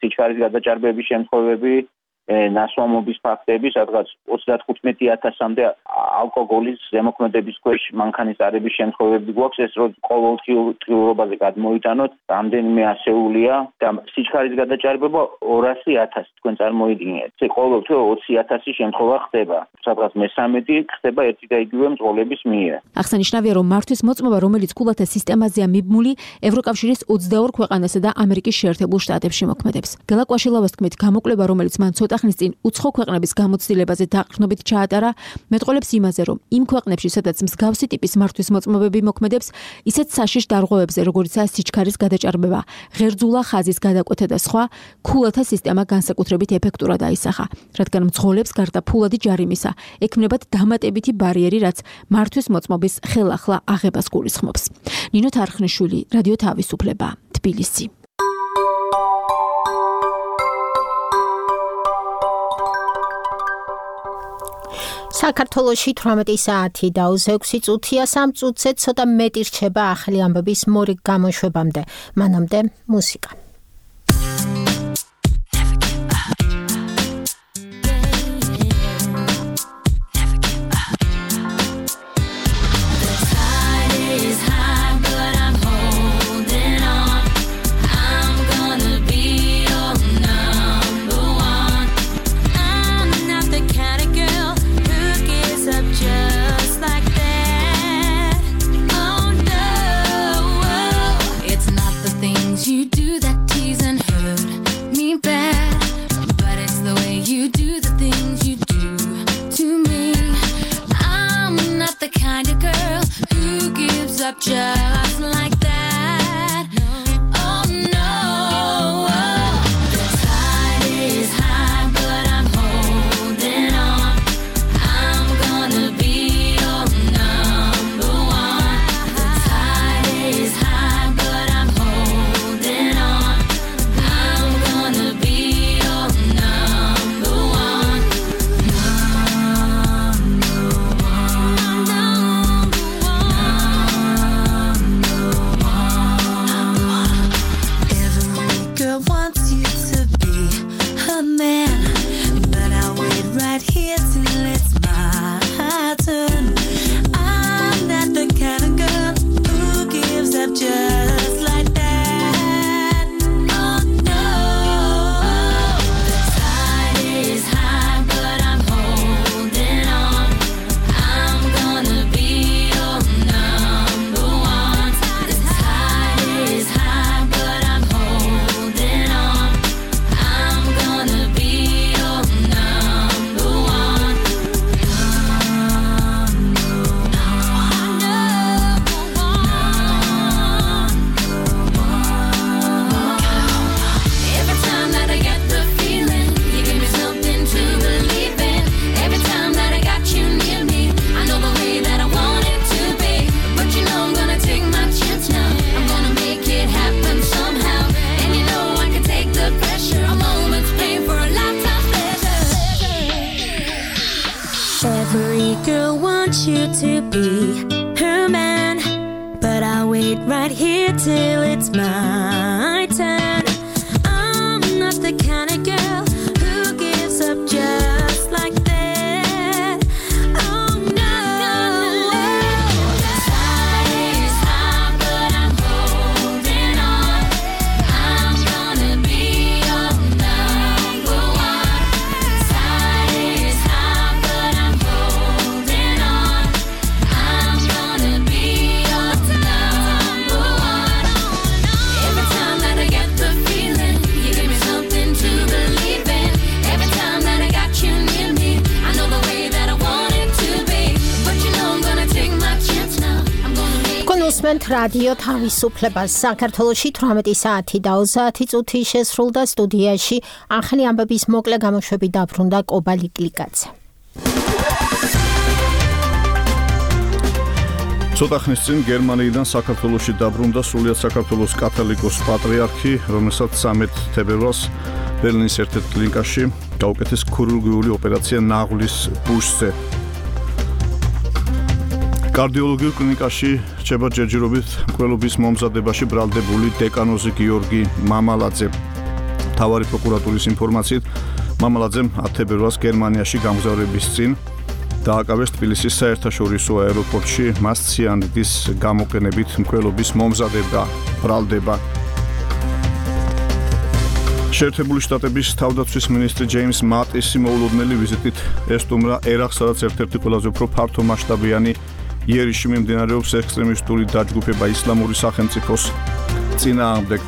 სიჩქარის გადაჭარბების შემთხვევები, ნასვამობის ფაქტები, სადღაც 35,000-მდე ალკოგოლის ზემოქმედების ქვეშ მანქანის შემთხვევები გვაქვს, ეს რომ ყოველდღიურობაზე გადმოიტანოთ, რამდენიმე ასეულია და სიჩქარის გადაჭარბება 200,000 თქვენ წარმოიდგინეთ. ყოველდღიურ 20,000 შემთხვევა ხდება, სადღაც მე-13 ხდება ერთი და იგივე მძღოლების მიერ. აღსანიშნავია, რომ მართვის მოწმობა, რომელიც ქულათა სისტემაზეა მიბმული, ევროკავშირის 22 ქვეყანასა და ამერიკის შეერთებულ შტატებში მოქმედებს. გელა კვაშილავას თქმით, გამოკლება, რომელიც მან ცოტა ხნის წინ უცხო ქვეყნების გამოცდილებაზე დაყრდნობით ჩაატარა, მეტყველებს იმაზე, რომ იმ ქვეყნებში, სადაც მსგავსი ტიპის მართვის მოწმობები მოქმედებს, ისეთ საშიშ დარღვევებზე, როგორიცაა სიჩქარის გადაჭარბება, ღერძულა ხაზის გადაკვეთა და სხვა, ქულათა სისტემა განსაკუთრებით ეფექტურად აისახა, რადგან მძღოლებს გარდა ფულადი ჯარიმისა, ექმნებათ დამატებითი ბარიერი, რაც მართვის მოწმობის ხელახლა აღებას გულისხმობს. ნინო თარხნიშვილი, რადიო თავისუფლება, თბილისი. საქართველოში 18 საათი და 6 წუთია, 3 წუთზე ცოტა მეტი რჩება ახალი ამბების მორიგ გამოშვებამდე. მანამდე მუსიკა. Just like that. Oh no. The tide is high, but I'm holding on. I'm gonna be your number one. The tide is high, but I'm holding on. I'm gonna be your number one. Here till it's my turn. I'm not the kind of girl who gives up just like that. Oh no. The tide is high, but I'm holding on. I'm gonna be your number one. The tide is high, but I'm holding on. I'm gonna be your number one. Every time that I get the feeling, you give me something to believe in. Every time that I got you near me, I know the way that I want it to be. But you know I'm gonna take my chance now. I'm gonna make it happen somehow. And you know I can take the pressure. A moment's pain for a lifetime's pleasure. Every girl wants you to be her man, but I'll wait right here till it's my turn. I'm not the kind of girl who gives up just like that. Oh no. The tide is high, but I'm holding on. I'm gonna be your გისმენთ რადიო თავისუფლებას. საქართველოში 18 საათი და 30 წუთი შესრულდა. სტუდიაში ახალი ამბების მოკლე გამოშვები დაბრუნდა კობა ლიკლიკაძე. ცოტა ხნის წინ გერმანიიდან საქართველოში დაბრუნდა სრულიად საქართველოს კათოლიკოს პატრიარქი, რომელსაც 13 თებერვალს ბერლინის ერთ-ერთ კლინიკაში გაუკეთეს ქირურგიული ოპერაცია ნაღლის ბუშზე. კარდიოლოგიურ კლინიკაში რჩება ჯერჯერობით მკვლელობის მომზადებაში ბრალდებული დეკანოზი გიორგი მამალაძე. მთავარი პროკურატურის ინფორმაციით, მამალაძემ 10 თებერვალს გერმანიაში გამგზავრების წინ დააკავეს თბილისის საერთაშორისო აეროპორტში მას ციანიდის გამოყენებით მკვლელობის მომზადება ბრალდება. შეერთებული შტატების თავდაცვის მინისტრი ჯეიმს მატისი მოულოდნელი ვიზიტით ესტუმრა ერაყს, სადაც ერთ-ერთი ყველაზე უფრო ფართომასშტაბიანი იერიში მიმდინარეობს ექსტრემისტული დაჯგუფება ისლამური სახელმწიფოს წინააღმდეგ.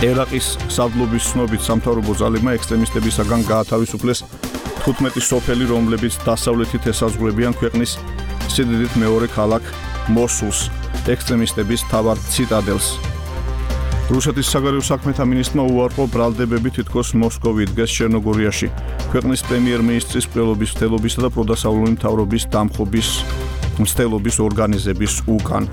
ერაყის სარდლობის ცნობით სამთავრობო ძალებმა ექსტრემისტებისაგან გაათავისუფლეს 15 სოფელი, რომლებიც დასავლეთით ესაზღვრებიან ქვეყნის სიდიდით მეორე ქალაქ მოსულს, ექსტრემისტების მთავარ ციტადელს. რუსეთის საგარეო საქმეთა მინისტრმა უარყო ბრალდებები თითქოს მოსკოვი იდგეს ჩერნოგორიაში, ქვეყნის პრემიერ-მინისტრის მკვლელობის მცდელობისა და პროდასავლური მთავრობის დამხობის მცდელობის ორგანიზების უკან.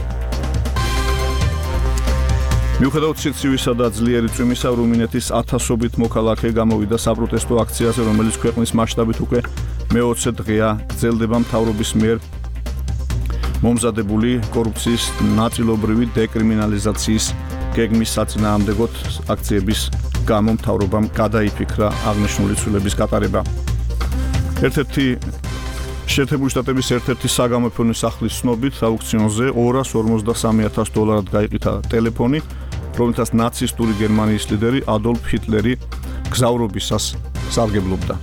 მიუხედავად სიცივისა და ძლიერი წვიმისა, რუმინეთის 1000-ობით მოქალაქე გამოვიდა საპროტესტო აქციაზე, რომელიც ქვეყნის მასშტაბით უკვე მე-20 დღეა გრძელდება მთავრობის მიერ მომზადებული კორუფციის ნაწილობრივი დეკრიმინალიზაციის გეგმის საწინააღმდეგოდ აქციების გამო მთავრობამ გადაიფიქრა აღნიშნული ცვლილების გატარება. შეერთებული შტატების ერთ-ერთი საგამოფენო სახლის ცნობით აუქციონზე $253,000 გაიყიდა ტელეფონი, რომელთაც ნაცისტური გერმანიის ლიდერი ადოლფ ჰიტლერი გზავრობისას სარგებლობდა.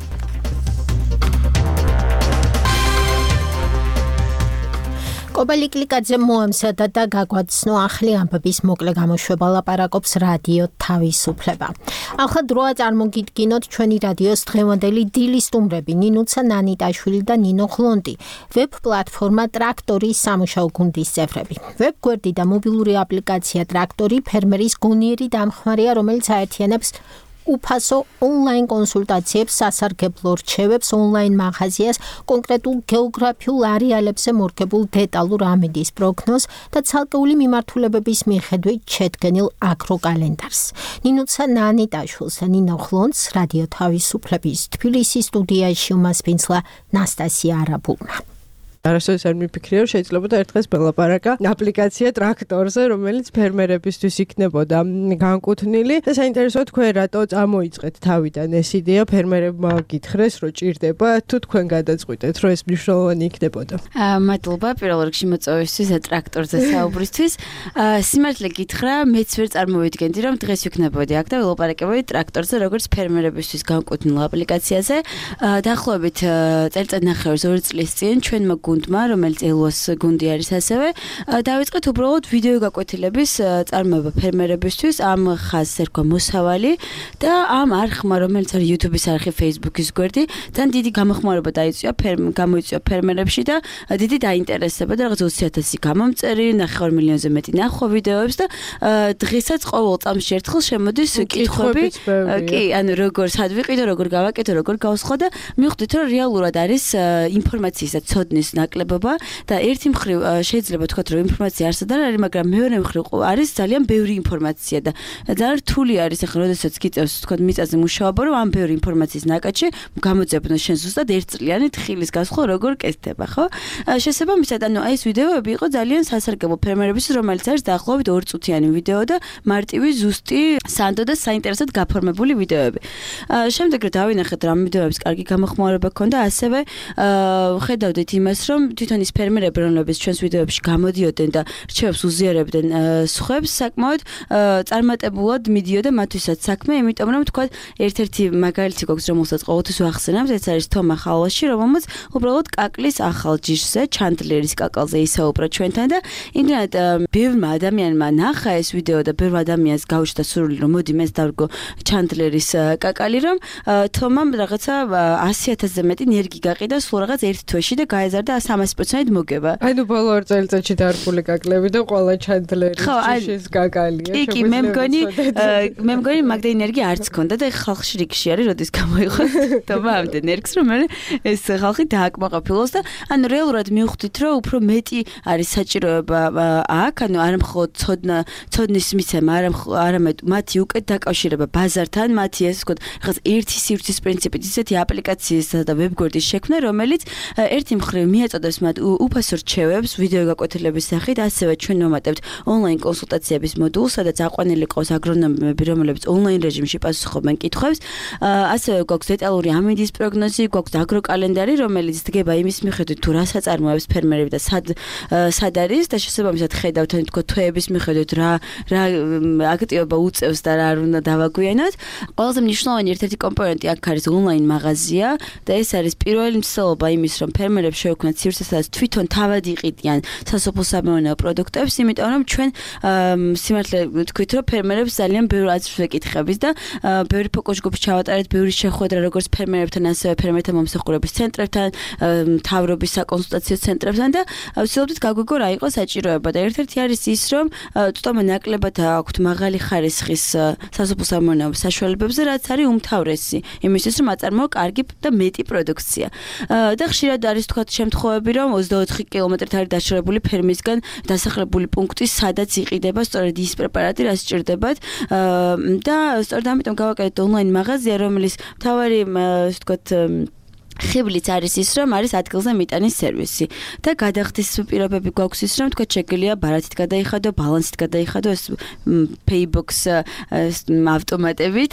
კობა ლიკლიკაძე მოემზადა და გაგვაცნო ახალი ამბების მოკლე გამოშვება, ლაპარაკობს რადიო თავისუფლება. ახლა დროა წარმოგიდგინოთ ჩვენი რადიოს დღევანდელი დილის სტუმრები: ნინუცა ნანიტაშვილი და ნინო ხლონტი, ვებ პლატფორმა ტრაქტორის სამუშაო გუნდის წევრები. ვებ გვერდი და მობილური აპლიკაცია ტრაქტორი ფერმერის გონიერი დამხმარეა, რომელიც აერთიანებს უფასო ონლაინ კონსულტაციებს, სასარგებლო რჩევებს, ონლაინ მაღაზიას, კონკრეტულ გეოგრაფიულ არეალებზე მორგებულ დეტალურ ამინდის პროგნოზს და ცალკეული მიმართულებების მიხედვით შედგენილ აგროკალენდარს. ნინუცა ნანიტაშვილს და ნინო ხლონტს რადიო თავისუფლების თბილისის სტუდიაში უმასპინძლა ნასტასია არაბულმა. არასოდეს არ მიფიქრია, რომ შეიძლება და ერთ დღეს ველაპარაკა აპლიკაცია ტრაქტორზე, რომელიც ფერმერებისთვის იქნებოდა განკუთვნილი. და საინტერესოა, თქვენ რატო წამოიწყეთ თავიდან ეს იდეა, ფერმერებმა გითხრეს, რომ ჭირდება, თუ თქვენ გადაწყვიტეთ, რომ ეს მნიშვნელოვანი იქნებოდა. მადლობა პირველ რიგში მოწვევისთვის და ტრაქტორზე საუბრისთვის. სიმართლე გითხრა, მეც ვერ წარმოვიდგენდი, რომ დღეს ვიქნებოდი აქ და ველაპარაკებოდი ტრაქტორზე, როგორც ფერმერებისთვის განკუთვნილ აპლიკაციაზე. დაახლოებით წელიწადნახევრის 2 წლის წინ ჩვენმა გუნდმა, რომელიც ელოს გუნდი არის ასევე, დავიწყეთ უბრალოდ ვიდეო გაკვეთილების წარმოება ფერმერებისთვის, ამ ხაზს ერქვა მოსავალი და ამ არხმა, რომელიც არის YouTube-ის არხი, Facebook-ის გვერდი, ძალიან დიდი გამოხმარება გამოიწვია ფერმერებში და დიდი დაინტერესება და რაღაც 20,000 გამომწერი, 9 მილიონზე მეტი ნახვა ვიდეოებს და დღესაც ყოველ წამში ერთხელ შემოდის კითხვები, კი, ანუ როგორ სად ვიყიდო, როგორ გავაკეთო, როგორ გავსხო და მივხვდით, რომ რეალურად არის ინფორმაციის და ცოდნის ნაკლებობა და ერთი მხრივ შეიძლება თქვათ, რომ ინფორმაცია არსად არ არის, მაგრამ მეორე მხრივ არის ძალიან ბევრი ინფორმაცია და ძალიან რთული არის ახლა, როდესაც გიწევს თქვათ მიწაზე მუშაობა, რომ ამ ბევრი ინფორმაციის ნაკადში გამოძებნო შენ ზუსტად ერთწლიანი თხილის გასხვა როგორ კეთდება, ხო? შესაბამისად, ანუ ეს ვიდეოები იყო ძალიან სასარგებლო ფერმერებისთვის, რომელიც არის დაახლოებით 2 წუთიანი ვიდეო და მარტივი ზუსტი სანდო და საინტერესოდ გაფორმებული ვიდეოები. შემდეგ რომ დავინახეთ რა ვიდეოებს კარგი გამოხმარება ჰქონდა, ასევე ხედავდით იმას, რომ თვითონ ის ფერმერები, რომლებიც ჩვენს ვიდეოებში გამოდიოდნენ და რჩევებს უზიარებდნენ სხვებს, საკმაოდ წარმატებულად მიდიოდა მათთვისაც საქმე, იმიტომ რომ თქვა ერთ-ერთი მაგალითი გვაქვს, რომელსაც ყოველთვის ვახსენებთ, ეს არის თომა ხალაში, რომელმაც უბრალოდ კაკლის ახალ ჯიშზე, ჩანდლერის კაკალზე ისაუბრა ჩვენთან და იმდენად ბევრმა ადამიანმა ნახა ეს ვიდეო და ბევრ ადამიანს გაუჩნდა სურვილი, რომ მოდი მეც დავრგო ჩანდლერის კაკალი, რომ თომამ რაღაცა 100,000-ზე მეტი ნერგი გაყიდა სულ რაღაც ერთ თვეში და გაეზარდა და 300% მოგება. ანუ ბოლო 2 წელიწადში დარფული კაკლები და ყველა ჩანდლერი შიშის გაგალია. კი, მე მგონი მაგდა ენერგია არც ქონდა და ხალხში რიგში არის, როდის გამოიღოს თომა ამდენ ენერგს, რომ ეს ხალხი დააკმაყოფილოს და ანუ რეალურად მივხვდით, რომ უფრო მეტი არის საჭიროება აქ, ანუ არა მხოლოდ ცოდნის მიცემა, არამედ მათი უკეთ დაკავშირება ბაზართან, მათი ეს ვთქვათ, რაღაც ერთი სივრცის პრინციპით ისეთი აპლიკაციისა და ვებგვერდის შექმნა, რომელიც ერთი მხრივ მიაწოდებს მათ უფასო რჩევებს ვიდეო გაკვეთილების სახით, ასევე ჩვენ ვამატებთ ონლაინ კონსულტაციების მოდულს, სადაც აყვანილი ყავს აგრონომები, რომლებიც ონლაინ რეჟიმში პასუხობენ კითხვებს. ასევე გვაქვს დეტალური ამინდის პროგნოზი, გვაქვს აგროკალენდარი, რომელიც დგება იმის მიხედვით, თუ რას აწარმოებს ფერმერები და სად არის და შესაბამისად ხედავთ თქო თვეების მიხედვით რა აქტივობა უწევს და რა არ უნდა დავაგვიანოთ. ყველაზე მნიშვნელოვანი ერთ-ერთი კომპონენტი აქ არის ონლაინ მაღაზია და ეს არის პირველი მცდელობა იმის, რომ ფერმერებს შევქმნათ სივრცე, სადაც თვითონ თავად იყიდიან სასოფლო-სამეურნეო პროდუქტებს, იმიტომ რომ ჩვენ სიმართლე ვთქვით, რომ ფერმერებს ძალიან ბევრი აზრს ვეკითხებით და ბევრი ფოკუს-ჯგუფი ჩავატარეთ, ბევრი შეხვედრა როგორც ფერმერებთან, ასევე ფერმერთა მომსახურების ცენტრებთან, მთავრობის საკონსულტაციო ცენტრებთან და ვცდილობთ გაგვიგო რა იყო საჭიროება და ერთ-ერთი არის ის, რომ თვითონ ნაკლებად აქვთ მაღალი ხარისხის სასოფლო-სამეურნეო საშუალებებზე, რაც არის უმთავრესი იმისთვის, რომ აწარმოო კარგი და მეტი პროდუქცია. და ხშირად არის თქვათ შემთხვევები, რომ 24 კილომეტრით არის დაშორებული ფერმისგან დასახლებული პუნქტი, სადაც იყიდება სწორედ ის პრეპარატი, რაც სჭირდებათ და სწორედ ამიტომ გავაკეთეთ ონლაინ მაღაზია, რომელიც მთავარი ვთქვათ ხიბლიც არის ის, რომ არის ადგილზე მიტანის სერვისი და გადახდის პირობები გვაქვს ის, რომ თქვა შეგიძლია ბარათით გადაიხადო, ბალანსით გადაიხადო ეს Paybox ავტომატებით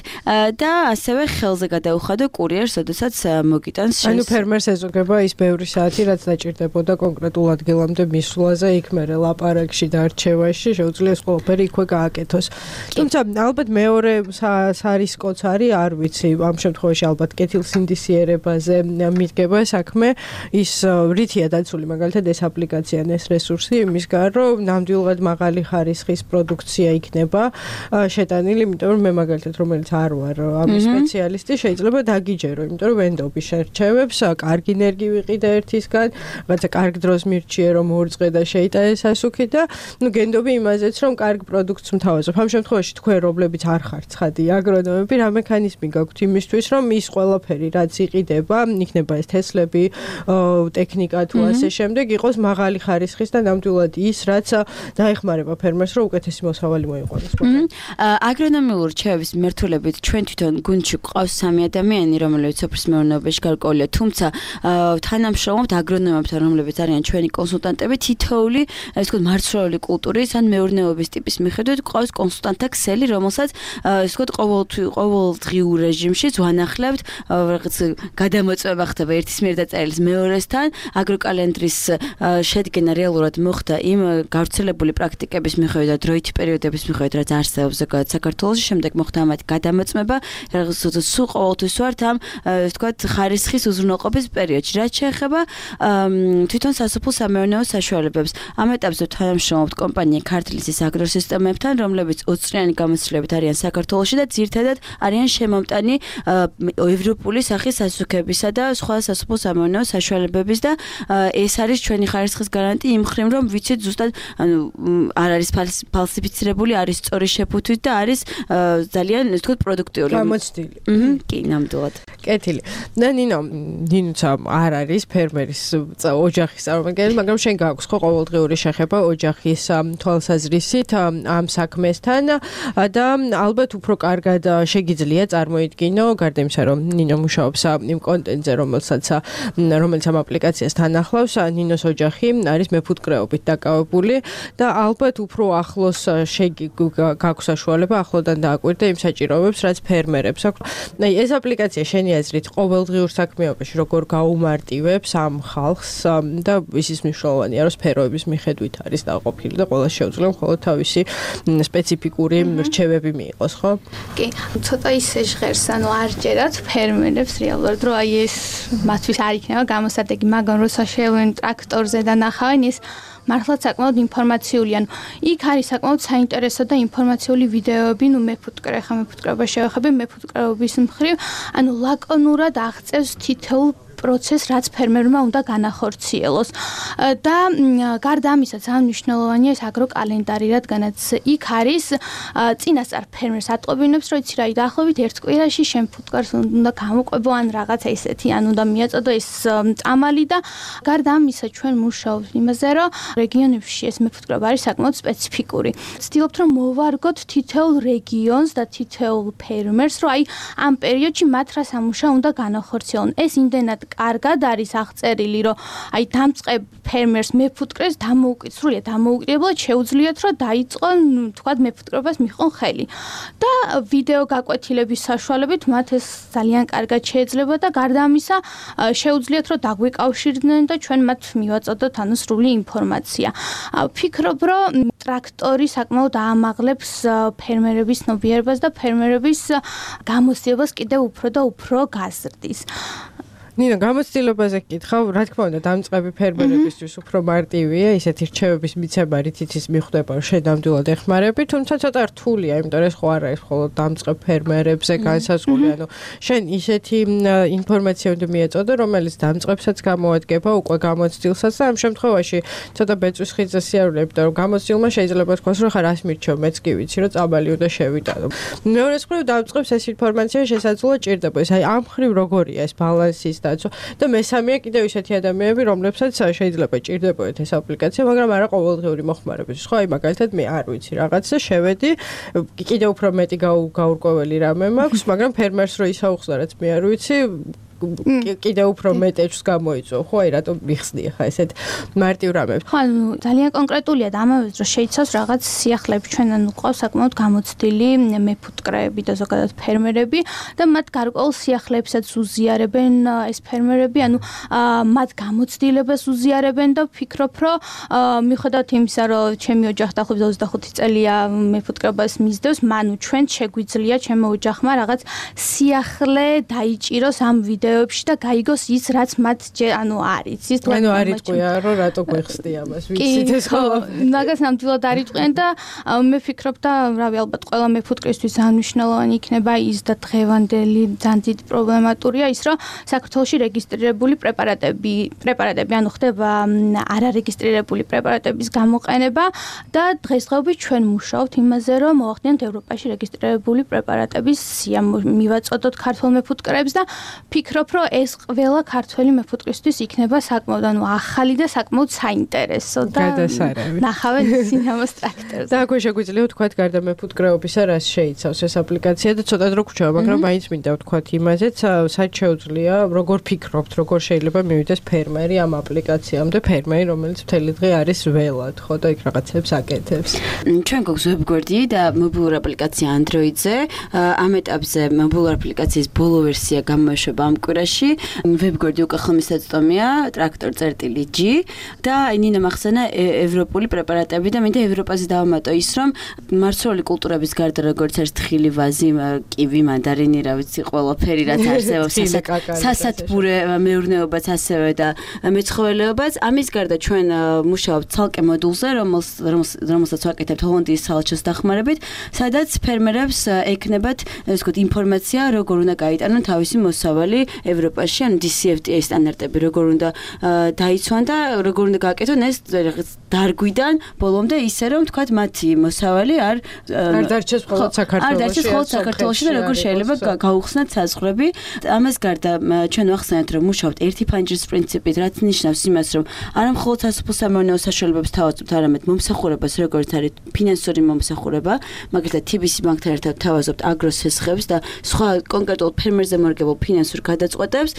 და ასევე ხელზე გადაუხადო კურიერს, როდესაც მოგიტანს შენს. ანუ ფერმერს ეზოგება ის ბევრი საათი, რაც დაჭირდებოდა კონკრეტულ ადგილამდე მისვლაზე, იქ მერე ლაპარაკში და არჩევაში შეუძლია ეს ყველაფერი იქვე გააკეთოს. თუმცა ალბათ მეორე სარისკოც არის, არ ვიცი, ამ შემთხვევაში ალბათ კეთილსინდისიერებაზე მიდგება საქმე ის რითია დაცული მაგალითად ეს აპლიკაცია ან ეს რესურსი იმისგან რომ ნამდვილად მაღალი ხარისხის პროდუქცია იქნება შეტანილი, იმიტომ რომ მე მაგალითად რომელიც არ ვარ ამის სპეციალისტი შეიძლება დაგიჯერო, იმიტომ რომ ვენდობი შერჩევებს, კარგი ენერგი ვიყიდე ერთისგან, რაღაცა კარგ დროს მირჩიე რომ ორწყე და შეიტანე სასუქი და ნუ გენდობი იმაზეც რომ კარგ პროდუქტს მთავაზობ. ამ შემთხვევაში თქვენ რომლებიც არ ხართ ცხადი აგრონომები, რა მექანიზმი გაქვთ იმისთვის რომ ის ყველაფერი რაც იყიდება იქნება ეს თესლები, ტექნიკა თუ ასე შემდეგ იყოს მაღალი ხარისხის და ნამდვილად ის, რაც დაეხმარება ფერმერს, რომ უკეთესი მოსავალი მოიყვანოს. აგრონომიულ რჩევების მიმართულებით ჩვენ თვითონ გუნდში გვყავს 3 ადამიანი, რომლებიც სოფლის მეურნეობაში გარკვეულია, თუმცა თანამშრომლობთ აგრონომებთან, რომლებიც არიან ჩვენი კონსულტანტები, თითოეული, ასე ვთქვათ, მარცვლეული კულტურის ან მეურნეობის ტიპის მიხედვით გვყავს კონსულტანტთა ქსელი, რომელსაც ასე ვთქვათ, ყოველდღიურ რეჟიმში ვანახლებთ, რაღაც გადამოწმება ხდება ერთის მიერ დაწერილის მეორესთან, აგროკალენდრის შედგენა რეალურად მოხდა იმ გავრცელებული პრაქტიკების მიხედვით და დროითი პერიოდების მიხედვით, რაც არსებობს ზოგადად საქართველოში, შემდეგ მოხდა ამათი გადამოწმება, რაღაც სულ ყოველთვის ვართ ამ ვთქვათ ხარისხის უზრუნველყოფის პერიოდში, რაც შეეხება თვითონ სასოფლო-სამეურნეო საშუალებებს. ამ ეტაპზე თანამშრომლობთ კომპანია ქართლისის აგროსისტემებთან, რომლებიც 20 წლიანი გამოცდილებით არიან საქართველოში და ძირითადად არიან შემომტანი ევროპული სახის სასუქებისა და სხვა სასოფლო-სამეურნეო საშუალებების და ეს არის ჩვენი ხარისხის გარანტი იმ მხრივ, რომ ვიცით ზუსტად ანუ არ არის ფალსიფიცირებული, არის სწორი შეფუთვით და არის ძალიან ასე ვთქვათ პროდუქტიული. გამოცდილი. კი, ნამდვილად. კეთილი. და ნინოცა არ არის ფერმერის ოჯახის წარმომადგენელი, მაგრამ შენ გაქვს ხო ყოველდღიური შეხება ოჯახის თვალსაზრისით ამ საქმესთან და ალბათ უფრო კარგად შეგიძლია წარმოიდგინო, გარდა იმისა, რომ ნინო მუშაობს იმ კონტენტზე, რომელიც ამ აპლიკაციას თან ახლავს, ნინოს ოჯახი არის მეფუტკრეობით დაკავებული და ალბათ უფრო ახლოს გაქვს საშუალება ახლოდან დააკვირდე იმ საჭიროებებს, რაც ფერმერებს აქვს. ეს აპლიკაცია შენი აზრით ყოველდღიურ საქმიანობაში როგორ გაუმარტივებს ამ ხალხს და ისიც მნიშვნელოვანია, რომ სფეროების მიხედვით არის დაყოფილი და ყველა შეუძლია მხოლოდ თავისი სპეციფიკური რჩევები მიიღოს, ხო? კი, ცოტა ისე ჟღერს, ანუ არ ჯერათ ფერმერებს რეალურად, რომ აი ეს მათთვის არ იქნება გამოსადეგი, მაგრამ როცა შევლენ ტრაქტორზე და ნახავენ ის მართლაც საკმაოდ ინფორმაციული, ანუ იქ არის საკმაოდ საინტერესო და ინფორმაციული ვიდეოები, ნუ მეფუტკრეობა შევეხები მეფუტკრეობის მხრივ, ანუ ლაკონურად აღწევს თითოეულ პროცესს, რაც ფერმერმა უნდა განახორციელოს. და გარდა ამისა, ძალიან მნიშვნელოვანია ეს აგროკალენდარი, რადგანაც იქ არის წინასწარ ფერმერს ატყობინებს, რომ იცი რა, დაახლოებით ერთ კვირაში შენ ფუტკარს უნდა გამოყვებო ან რაღაცა ისეთი, ან უნდა მიაწოდო ეს წამალი და გარდა ამისა ჩვენ მუშაობთ იმაზე, რომ რეგიონებში ეს მეფუტკრეობა არის საკმაოდ სპეციფიკური. ვცდილობთ რომ მოვარგოთ თითოეულ რეგიონს და თითოეულ ფერმერს, რომ აი ამ პერიოდში მათ რა სამუშაო უნდა განახორციელონ. ეს იმდენად კარგად არის აღწერილი, რომ აი დამწყებ ფერმერს მეფუტკრეს დამოუკიდებლად შეუძლიათ, რომ დაიწყონ თქვათ მეფუტკრეობას მიჰყონ ხელი. და ვიდეო გაკვეთილების საშუალებით მათ ეს ძალიან კარგად შეეძლება და გარდა ამისა შეუძლიათ, რომ დაგვიკავშირდნენ და ჩვენ მათ მივაწოდოთ სრული ინფორმაცია. ვფიქრობ, რომ ტრაქტორი საკმაოდ აამაღლებს ფერმერების ცნობიერებას და ფერმერების გამოცდილებას კიდევ უფრო და უფრო გაზრდის. ნინა, გამოცდილებაზე გკითხავ, რა თქმა უნდა, დამწყები ფერმერებისთვის უფრო მარტივია, ისეთი რჩევების მიცემა, რითიც ის მიხვდება, რომ შედამდვილად ეხმარები, თუმცა ცოტა რთულია, იმიტომ რომ ეს ხო არ არის მხოლოდ დამწყებ ფერმერებზე განსაზღვრული, ანუ შენ ისეთი ინფორმაცია უნდა მიეწოდო, რომელიც დამწყებსაც გამოადგება, უკვე გამოცდილსაც და ამ შემთხვევაში ცოტა ბეწვის ხიძზე სიარულე, იმიტომ რომ გამოცდილმა შეიძლება თქვას, რომ ხა რას მირჩევ, მეც კი ვიცი, რომ წაბალი უნდა შევიტანო. მეორე მხრივ დამწყებს ეს ინფორმაცია შესაძლოა ჭირდება, აი ამ მხრივ როგორია ეს ბალანსის და მესამეა კიდევ ისეთი ადამიანები, რომლებსაც შეიძლება ჭირდებოდეთ ეს აპლიკაცია, მაგრამ არა ყოველდღიური მოხმარებისთვის. ხო, აი მაგალითად მე არ ვიცი რაღაცა, შევედი, კიდევ უფრო მეტი გაურკვეველი რამე მაქვს, მაგრამ ფერმერს რო ისაუხსნა, რაც მე არ ვიცი, კიდევ უფრო მეტეჭს გამოიწვევ, ხო, აი რატომ მიხსნი ხა ესეთ მარტივ რამებს. ხო, ძალიან კონკრეტულია და ამავე დროს შეიცავს რაღაც სიახლეებს, ჩვენ ყავს საკმაოდ გამოცდილი მეფუტკრეები და ზოგადად ფერმერები და მათ გარკვეულ სიახლეებსაც უზიარებენ ეს ფერმერები, ანუ მათ გამოცდილებას უზიარებენ და ვფიქრობ, რომ მიუხედავად იმისა, რომ ჩემი ოჯახი დაახლოებით 25 წელია მეფუტკრეობას მისდევს, მანუ ჩვენ შეგვიძლია ჩემო ოჯახმა რაღაც სიახლე დაიჭიროს ამ ვიდეოებში და გაიგოს ის, რაც მათ ანუ არის. ის ანუ არ იტყვია, რომ რატო გვეხსდი ამას, ვიცით ეს ხო? მაგას ნამდვილად არ იტყვიან და მე ვფიქრობ და რავი, ალბათ ყველა მეფუტკრისთვის ძალიან მნიშვნელოვანი იქნება ის და დღევანდელი ძალიან დიდი პრობლემატურია ის, რომ საქართველოში რეგისტრირებული პრეპარატები, ანუ ხდება არარეგისტრირებული პრეპარატების გამოყენება და დღესდღეობით ჩვენ მუშაობთ იმაზე, რომ მოახდინოთ ევროპაში რეგისტრირებული პრეპარატების სია მივაწოდოთ ქართულ მეფუტკრეებს და ვფიქრობ, რომ ეს ყველა ქართველი მეფუტკრისთვის იქნება საკმაოდ ანუ ახალი და საკმაოდ საინტერესო და ნახავენ სინემას ტრაქტორზე. და აქვე შეგვიძლია ვთქვათ, გარდა მეფუტკრეობისა, რას შეიცავს ეს აპლიკაცია და ცოტა დრო გვჭირდება, მაგრამ მაინც მინდა ვთქვათ იმაზეც, სად შეუძლია, როგორ ფიქრობთ, როგორ შეიძლება მივიდეს ფერმერი ამ აპლიკაციამდე, ფერმერი, რომელიც მთელი დღე არის ველად, ხო და იქ რაღაცებს აკეთებს. ჩვენ გვაქვს ვებგვერდი და მობილური აპლიკაცია Android-ზე. ამ ეტაპზე მობილური აპლიკაციის ბოლო ვერსია გამოეშვება ამ კვირაში. ვებგვერდი უკვე ხმისაწვდომია ტრაქტორ.g და ნინა მახსენა ევროპული პრეპარატები და მინდა ევროპაზე დავამატო ის, რომ მარცვლეული კულტურების გარდა როგორც არის თხილი, ვაზი, კივი, მანდარინი, რა ვიცი, ყველაფერი რაც არსებობს, სასათბურე მეურნეობაც ასევე და მეცხოველეობაც. ამის გარდა ჩვენ მუშაობთ ცალკე მოდულზე, რომელსაც ვაკეთებთ ჰოლანდიის საელჩოს დახმარებით, სადაც ფერმერებს ექნებათ, ასე ვთქვათ, ინფორმაცია, როგორ უნდა გაიტანონ თავისი მოსავალი ევროპაში, ანუ DCFTA სტანდარტები როგორ უნდა დაიცვან და როგორ უნდა გააკეთონ ეს დარგვიდან ბოლომდე ისე, რომ თქვათ მათი მოსავალი არ დარჩეს მხოლოდ საქართველოში და როგორ შეიძლება გაუხსნათ საზღვრები. ამას გარდა ჩვენ ვახსენეთ, რომ მუშაობთ ერთი ფანჯრის პრინციპით, რაც ნიშნავს იმას, რომ არა მხოლოდ სასოფლო-სამეურნეო საშუალებებს თავაზობთ, არამედ მომსახურებას, როგორც არის ფინანსური მომსახურება, მაგალითად TBC ბანკთან ერთად თავაზობთ აგროსესხებს და სხვა კონკრეტულ ფერმერზე მორგებულ ფინანსურ გადაწყვეტებს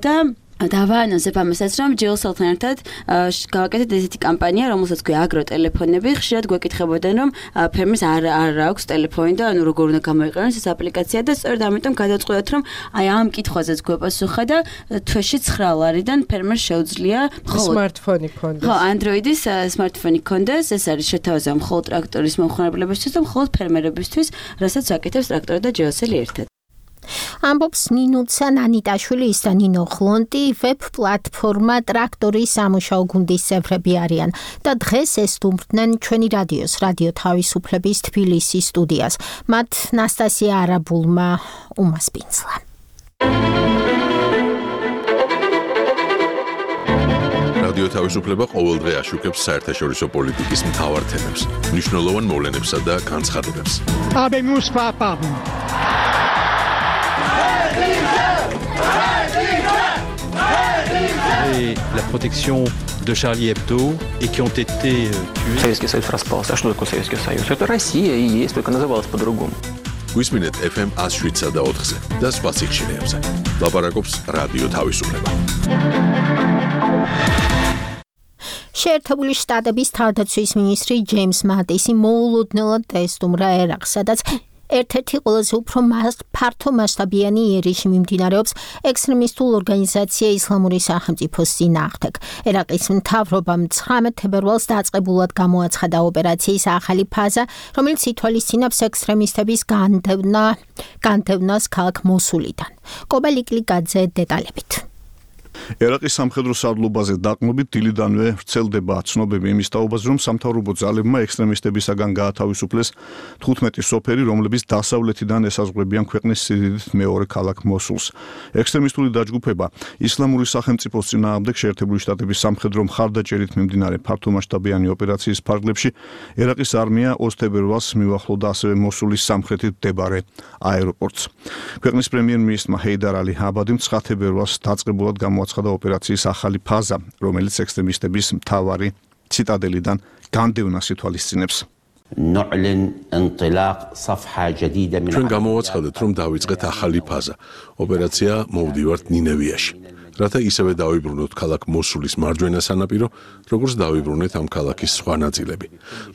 და დავაანონსებ ამასაც, რომ ჯეოსელთან ერთად გავაკეთეთ ესეთი კამპანია, რომელსაც ქვია აგროტელეფონები. ხშირად გვეკითხებოდნენ, რომ ფერმერს არ აქვს ტელეფონი და ანუ როგორ უნდა გამოიყენოს ეს აპლიკაცია და სწორედ ამიტომ გადავწყვეტეთ, რომ აი ამ კითხვაზეც გვეპასუხა და თვეში 9 ლარიდან ფერმერს შეუძლია სმარტფონი ქონდეს. ხო, Android-ის სმარტფონი ქონდეს. ეს არის შეთავაზება მხოლოდ ტრაქტორის მომხმარებლებისთვის და მხოლოდ ფერმერებისთვის, რასაც აკეთებს ტრაქტორი და ჯეოსელი ერთად. ამბობს ნინუცა ნანიტაშვილის და ნინო ხლონტი ვებ პლატფორმა ტრაქტორის სამუშაო გუნდის წევრები არიან და დღეს ესტუმრდნენ ჩვენი რადიოს რადიო თავისუფლების თბილისის სტუდიას. მათ ნასტასია არაბულმა უმასპინძლა. რადიო თავისუფლება ყოველდღე აშუქებს საერთაშორისო პოლიტიკის მთავარ თემებს, მნიშვნელოვან მოვლენებსა და განცხადებებს. Habemus papam. Et la protection de Charlie Hebdo et qui ont été tués. Советский Союз распался. А что такое Советский Союз? Это Россия и есть, только называлась по-другому. გვისმინეთ FM 107-ზე და 4-ზე და სხვა სიხშირეებზე. ლაპარაკობს რადიო თავისუფლება. შეერთებული შტატების თავდაცვის მინისტრი ჯეიმს მატისი მოულოდნელად დაესტუმრა ერაყს, სადაც ერთ-ერთი ყველაზე უფრო ფართო მასშტაბიანი იერიში მიმდინარეობს ექსტრემისტულ ორგანიზაცია ისლამური სახელმწიფოს წინააღმდეგ. ერაყის მთავრობამ 19 თებერვალს დაწყებულად გამოაცხადა ოპერაციის ახალი ფაზა, რომელიც ითვალისწინებს ექსტრემისტების განდევნას ქალაქ მოსულიდან. კობა ლიკლიკაძე დეტალებით. ერაყის სამხედრო სარდლობაზე დაყრდნობით დილიდანვე ვრცელდება ცნობები იმის თაობაზე, რომ სამთავრობო ძალებმა ექსტრემისტებისაგან გაათავისუფლეს 15 სოფელი, რომლებიც დასავლეთიდან ესაზღვრებიან ქვეყნის სიდიდით მეორე ქალაქ მოსულს. ექსტრემისტული დაჯგუფება ისლამური სახელმწიფოს წინააღმდეგ შეერთებული შტატების სამხედრო მხარდაჭერით მიმდინარე ფართომასშტაბიანი ოპერაციის ფარგლებში ერაყის არმია 20 თებერვალს მივახლოვდა ასევე მოსულის სამხრეთით მდებარე აეროპორტს. ქვეყნის პრემიერ-მინისტრმა ჰეიდარ ალი აბადიმ 9 თებერვალს დაწყებულად გამოაცხადა ოპერაციის ახალი ფაზა, რომელიც ექსტრემისტების მთავარი ციტადელიდან განდევნას ითვალისწინებს. ჩვენ გამოვაცხადეთ, რომ დავიწყეთ ახალი ფაზა. ოპერაცია მოვდივართ ნინევიაში. რათა ისევე დავიბრუნოთ ქალაქ მოსულის მარჯვენა სანაპირო, როგორც დავიბრუნეთ ამ ქალაქის სხვა ნაწილები.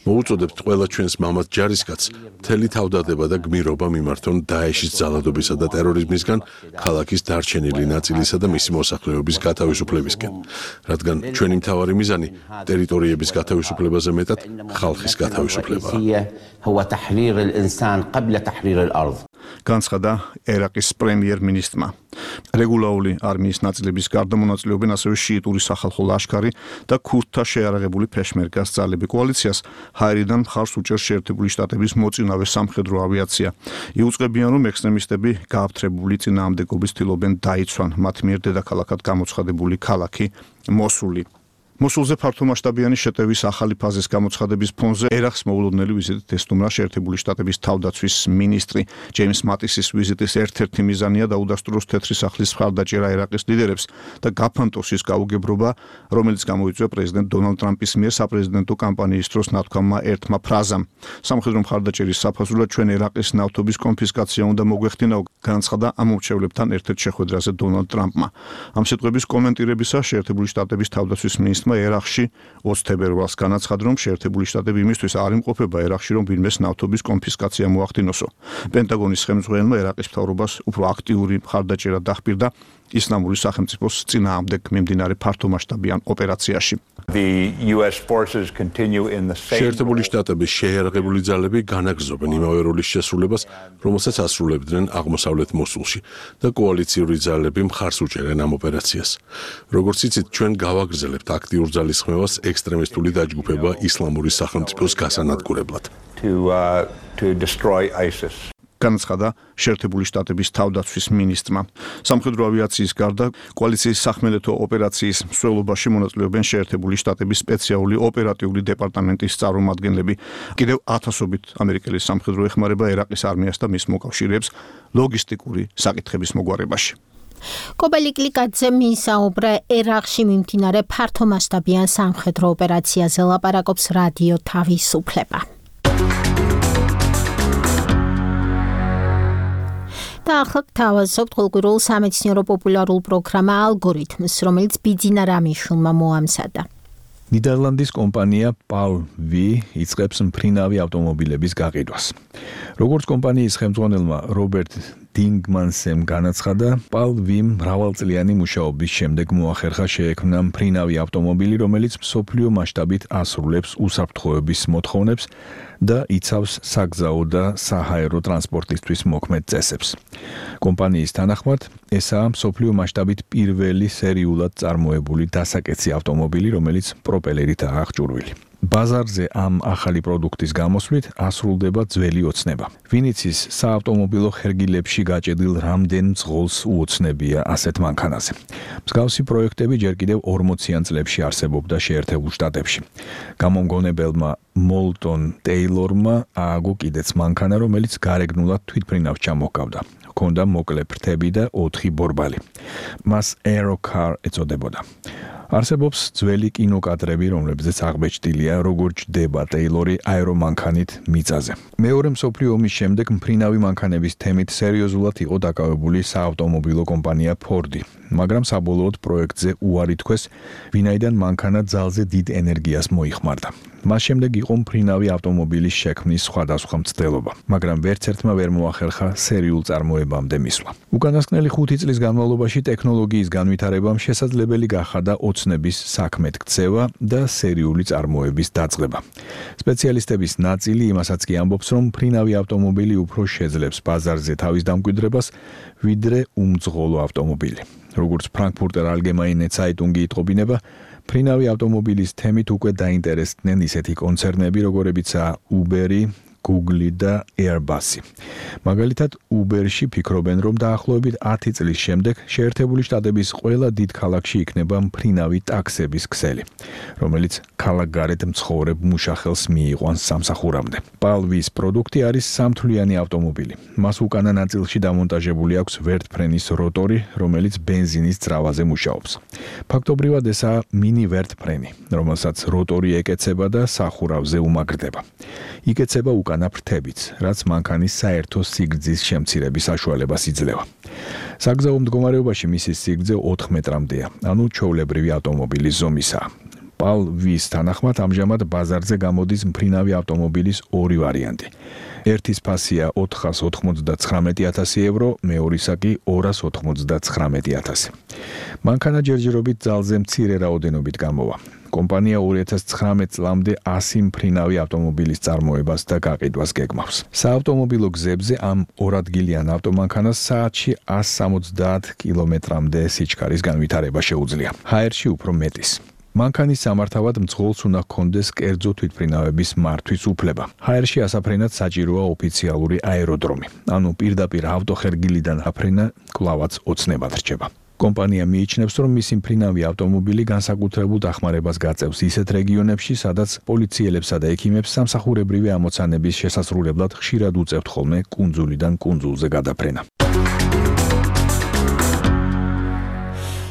მოუწოდებთ ყველა ჩვენს მამაც ჯარისკაცს მთელი თავდადება და გმირობა მიმართონ დაეშის ძალადობისა და ტერორიზმისგან ქალაქის დარჩენილი ნაწილისა და მისი მოსახლეობის გათავისუფლებისკენ, რადგან ჩვენი მთავარი მიზანი ტერიტორიების გათავისუფლებაზე მეტად ხალხის გათავისუფლებაა. განცხადა ერაყის პრემიერ-მინისტრმა. რეგულარული არმიის ნაწილების გარდა მონაწილეობენ ასევე შიიტური სახალხო ლაშქარი და ქურთთა შეიარაღებული ფეშმერგას ძალები. კოალიციას ჰაერიდან მხარს უჭერს შეერთებული შტატების მოწინავე სამხედრო ავიაცია. იუწყებიან, რომ ექსტრემისტები გააფთრებული წინააღმდეგობის ცდილობენ დაიცვან მათ მიერ დედაქალაქად გამოცხადებული ქალაქი მოსული. მოსულზე ფართომასშტაბიანი შეტევის ახალი ფაზის გამოცხადების ფონზე ერაყს მოულოდნელი ვიზიტით ესტუმრა შეერთებული შტატების თავდაცვის მინისტრი. ჯეიმს მატისის ვიზიტის ერთ-ერთი მიზანია დაუდასტუროს თეთრი სახლის მხარდაჭერა ერაყის ლიდერებს და გაფანტოს ის გაუგებრობა, რომელიც გამოიწვია პრეზიდენტ დონალდ ტრამპის მიერ საპრეზიდენტო კამპანიის დროს ნათქვამმა ერთმა ფრაზამ. სამხედრო მხარდაჭერის საფუძვლად ჩვენ ერაყის ნავთობის კონფისკაცია უნდა მოგვეხდინაო, განაცხადა ამ მომრჩევლებთან ერთ-ერთ შეხვედრაზე დონალდ ტრამპმა. ამ სიტყვების კომენტირებისას შეერთებული შტატების თავდაცვის მინისტრმა ერაყში 20 თებერვალს განაცხადა, რომ შეერთებული შტატები იმისთვის არ იმყოფება ერაყში, რომ ვინმეს ნავთობის კონფისკაცია მოახდინოსო. პენტაგონის ხელმძღვანელმა ერაყის მთავრობას უფრო აქტიური მხარდაჭერა დაჰპირდა ისლამური სახელმწიფოს წინააღმდეგ მიმდინარე ფართომასშტაბიან ოპერაციაში. შეერთებული შტატების შეიარაღებული ძალები განაგრძობენ იმავე როლის შესრულებას, რომელსაც ასრულებდნენ აღმოსავლეთ მოსულში და კოალიციური ძალები მხარს უჭერენ ამ ოპერაციას. როგორც იცით, ჩვენ გავაგრძელებთ აქტიურ ძალისხმევას ექსტრემისტული დაჯგუფება ისლამური სახელმწიფოს გასანადგურებლად. განაცხადა შეერთებული შტატების თავდაცვის მინისტრმა. სამხედრო ავიაციის გარდა კოალიციის სახმელეთო ოპერაციის მსვლელობაში მონაწილეობენ შეერთებული შტატების სპეციალური ოპერატიული დეპარტამენტის წარმომადგენლები. კიდევ ათასობით ამერიკელი სამხედრო ეხმარება ერაყის არმიას და მის მოკავშირეებს ლოგისტიკური საკითხების მოგვარებაში. კობა ლიკლიკაძე მისაუბრა ერაყში მიმდინარე ფართომასშტაბიან სამხედრო ოპერაციაზე, ლაპარაკობს რადიო თავისუფლება. და ახლა გთავაზობთ ყოველკვირეულ სამეცნიერო პოპულარულ პროგრამა ალგორითმს, რომელიც ბიძინა რამიშვილმა მოამზადა. ნიდერლანდის კომპანია PAL-V იწყებს მფრინავი ავტომობილების გაყიდვას. როგორც კომპანიის ხელმძღვანელმა რობერტ დინგმანსემ განაცხადა, PAL-V-მ მრავალწლიანი მუშაობის შემდეგ მოახერხა შეექმნა მფრინავი ავტომობილი, რომელიც მსოფლიო მასშტაბით ასრულებს უსაფრთხოების მოთხოვნებს და იცავს საგზაო და საჰაერო ტრანსპორტისთვის მოქმედ წესებს. კომპანიის თანახმად, ესაა მსოფლიო მასშტაბით პირველი სერიულად წარმოებული დასაკეცი ავტომობილი, რომელიც პროპელერითაა აღჭურვილი. ბაზარზე ამ ახალი პროდუქტის გამოსვლით ასრულდება ძველი ოცნება. ვინიცის საავტომობილო ხერგილებში გაჭედილ რამდენ მძღოლს უოცნებია ასეთ მანქანაზე. მსგავსი პროექტები ჯერ კიდევ 40-იან წლებში არსებობდა შეერთებულ შტატებში. გამომგონებელმა მოლტონ ტეილორმა ააგო კიდეც მანქანა, რომელიც გარეგნულად თვითმფრინავს ჩამოჰგავდა. ჰქონდა მოკლე ფრთები და 4 ბორბალი. მას Aerocar ეწოდებოდა. არსებობს ძველი კინოკადრები, რომლებზეც აღბეჭდილია, როგორ ჯდება ტეილორი აერომანქანით მიწაზე. მეორე მსოფლიო ომის შემდეგ მფრინავი მანქანების თემით სერიოზულად იყო დაკავებული საავტომობილო კომპანია Ford-ი, მაგრამ საბოლოოდ პროექტზე უარი თქვეს, ვინაიდან მანქანა ძალზე დიდ ენერგიას მოიხმარდა. მას შემდეგ იყო მფრინავი ავტომობილის შექმნის სხვადასხვა მცდელობა, მაგრამ ვერც ერთმა ვერ მოახერხა სერიულ წარმოებამდე მისვლა. უკანასკნელი 5 წლის განმავლობაში ტექნოლოგიის განვითარებამ შესაძლებელი გახადა ოცნების საქმეთ ქცევა და სერიული წარმოების დაწყება. სპეციალისტების ნაწილი იმასაც კი ამბობს, რომ მფრინავი ავტომობილი უფრო შეძლებს ბაზარზე თავის დამკვიდრებას, ვიდრე უმძღოლო ავტომობილი. როგორც ფრანკფურტერ ალგემაინე ცაიტუნგი იტყობინება, მფრინავი ავტომობილის თემით უკვე დაინტერესდნენ ისეთი კონცერნები, როგორებიცაა Uber-ი, Google და Airbus-ი. მაგალითად, Uber-ში ფიქრობენ, რომ დაახლოებით 10 წლის შემდეგ შეერთებული შტატების ყველა დიდ ქალაქში იქნება მფრინავი ტაქსების ქსელი, რომელიც ქალაქგარეთ მცხოვრებ მუშახელს მიიყვანს სამსახურამდე. PAL-ვის პროდუქტი არის სამთვლიანი ავტომობილი. მას უკანა ნაწილში დამონტაჟებული აქვს ვერტფრენის როტორი, რომელიც ბენზინის ძრავაზე მუშაობს. ფაქტობრივად ესაა მინი ვერტფრენი, რომელსაც როტორი ეკეცება და სახურავზე უმაგრდება. იკეცება უკანა ფრთებიც, რაც მანქანის საერთო სიგრძის შემცირების საშუალებას იძლევა. საგზაო მდგომარეობაში მისი სიგრძე 4 მეტრამდეა, ანუ ჩვეულებრივი ავტომობილის ზომისაა. PAL-ვის თანახმად ამჟამად ბაზარზე გამოდის მფრინავი ავტომობილის 2 ვარიანტი. ერთის ფასია 499,000 евро, მეორისა კი 299,000. მანქანა ჯერჯერობით ძალზე მცირე რაოდენობით გამოვა. კომპანია 2019 წლამდე 100 მფრინავი ავტომობილის წარმოებას და გაყიდვას გეგმავს. საავტომობილო გზებზე ამ 2 ადგილიან ავტომანქანას საათში 170 კილომეტრამდე სიჩქარის განვითარება შეუძლია. ჰაერში უფრო მეტის. მანქანის სამართავად მძღოლს უნდა ჰქონდეს კერძო თვითმფრინავების მართვის უფლება. ჰაერში ასაფრენად საჭიროა ოფიციალური აეროდრომი, ანუ პირდაპირ ავტოხერგილიდან აფრენა კვლავაც ოცნებად რჩება. კომპანია მიიჩნევს, რომ მისი მფრინავი ავტომობილი განსაკუთრებულ დახმარებას გაწევს ისეთ რეგიონებში, სადაც პოლიციელებსა და ექიმებს სამსახურებრივი ამოცანების შესასრულებლად ხშირად უწევთ ხოლმე კუნძულიდან კუნძულზე გადაფრენა.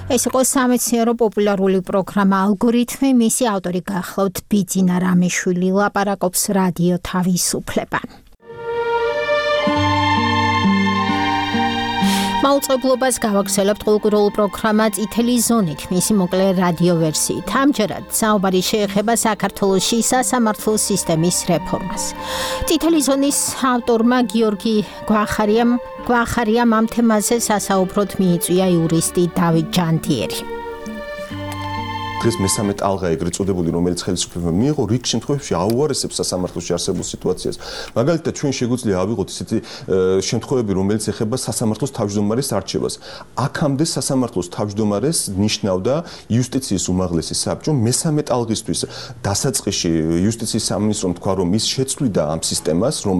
ეს იყო სამეცნიერო პოპულარული პროგრამა ალგორითმი, მისი ავტორი გახლავთ ბიძინა რამიშვილი, ლაპარაკობს რადიო თავისუფლება. მაუწყებლობას გავაგრძელებთ კულტურულ პროგრამა წითელი ზონით, მისი მოკლე რადიო ვერსიით. ამჯერად საუბარი შეეხება საქართველოში სასამართლო სისტემის რეფორმას. წითელი ზონის ავტორმა გიორგი გვახარიამ ამ თემაზე სასაუბროდ მიიწვია იურისტი დავით ჯანდიერი. დღეს მესამე ტალღა ეგრეთ წოდებული, რომელიც ხელისუფლებამ მიიღო, რიგ შემთხვევებში აუარესებს სასამართლოში არსებულ სიტუაციას. მაგალითად, ჩვენ შეგვიძლია ავიღოთ ისეთი შემთხვევები, რომელიც ეხება სასამართლოს თავმჯდომარის არჩევას. აქამდე სასამართლოს თავმჯდომარეს ნიშნავდა იუსტიციის უმაღლესი საბჭო. მესამე ტალღისთვის დასაწყისში იუსტიციის სამინისტრომ თქვა, რომ ის შეცვლიდა ამ სისტემას, რომ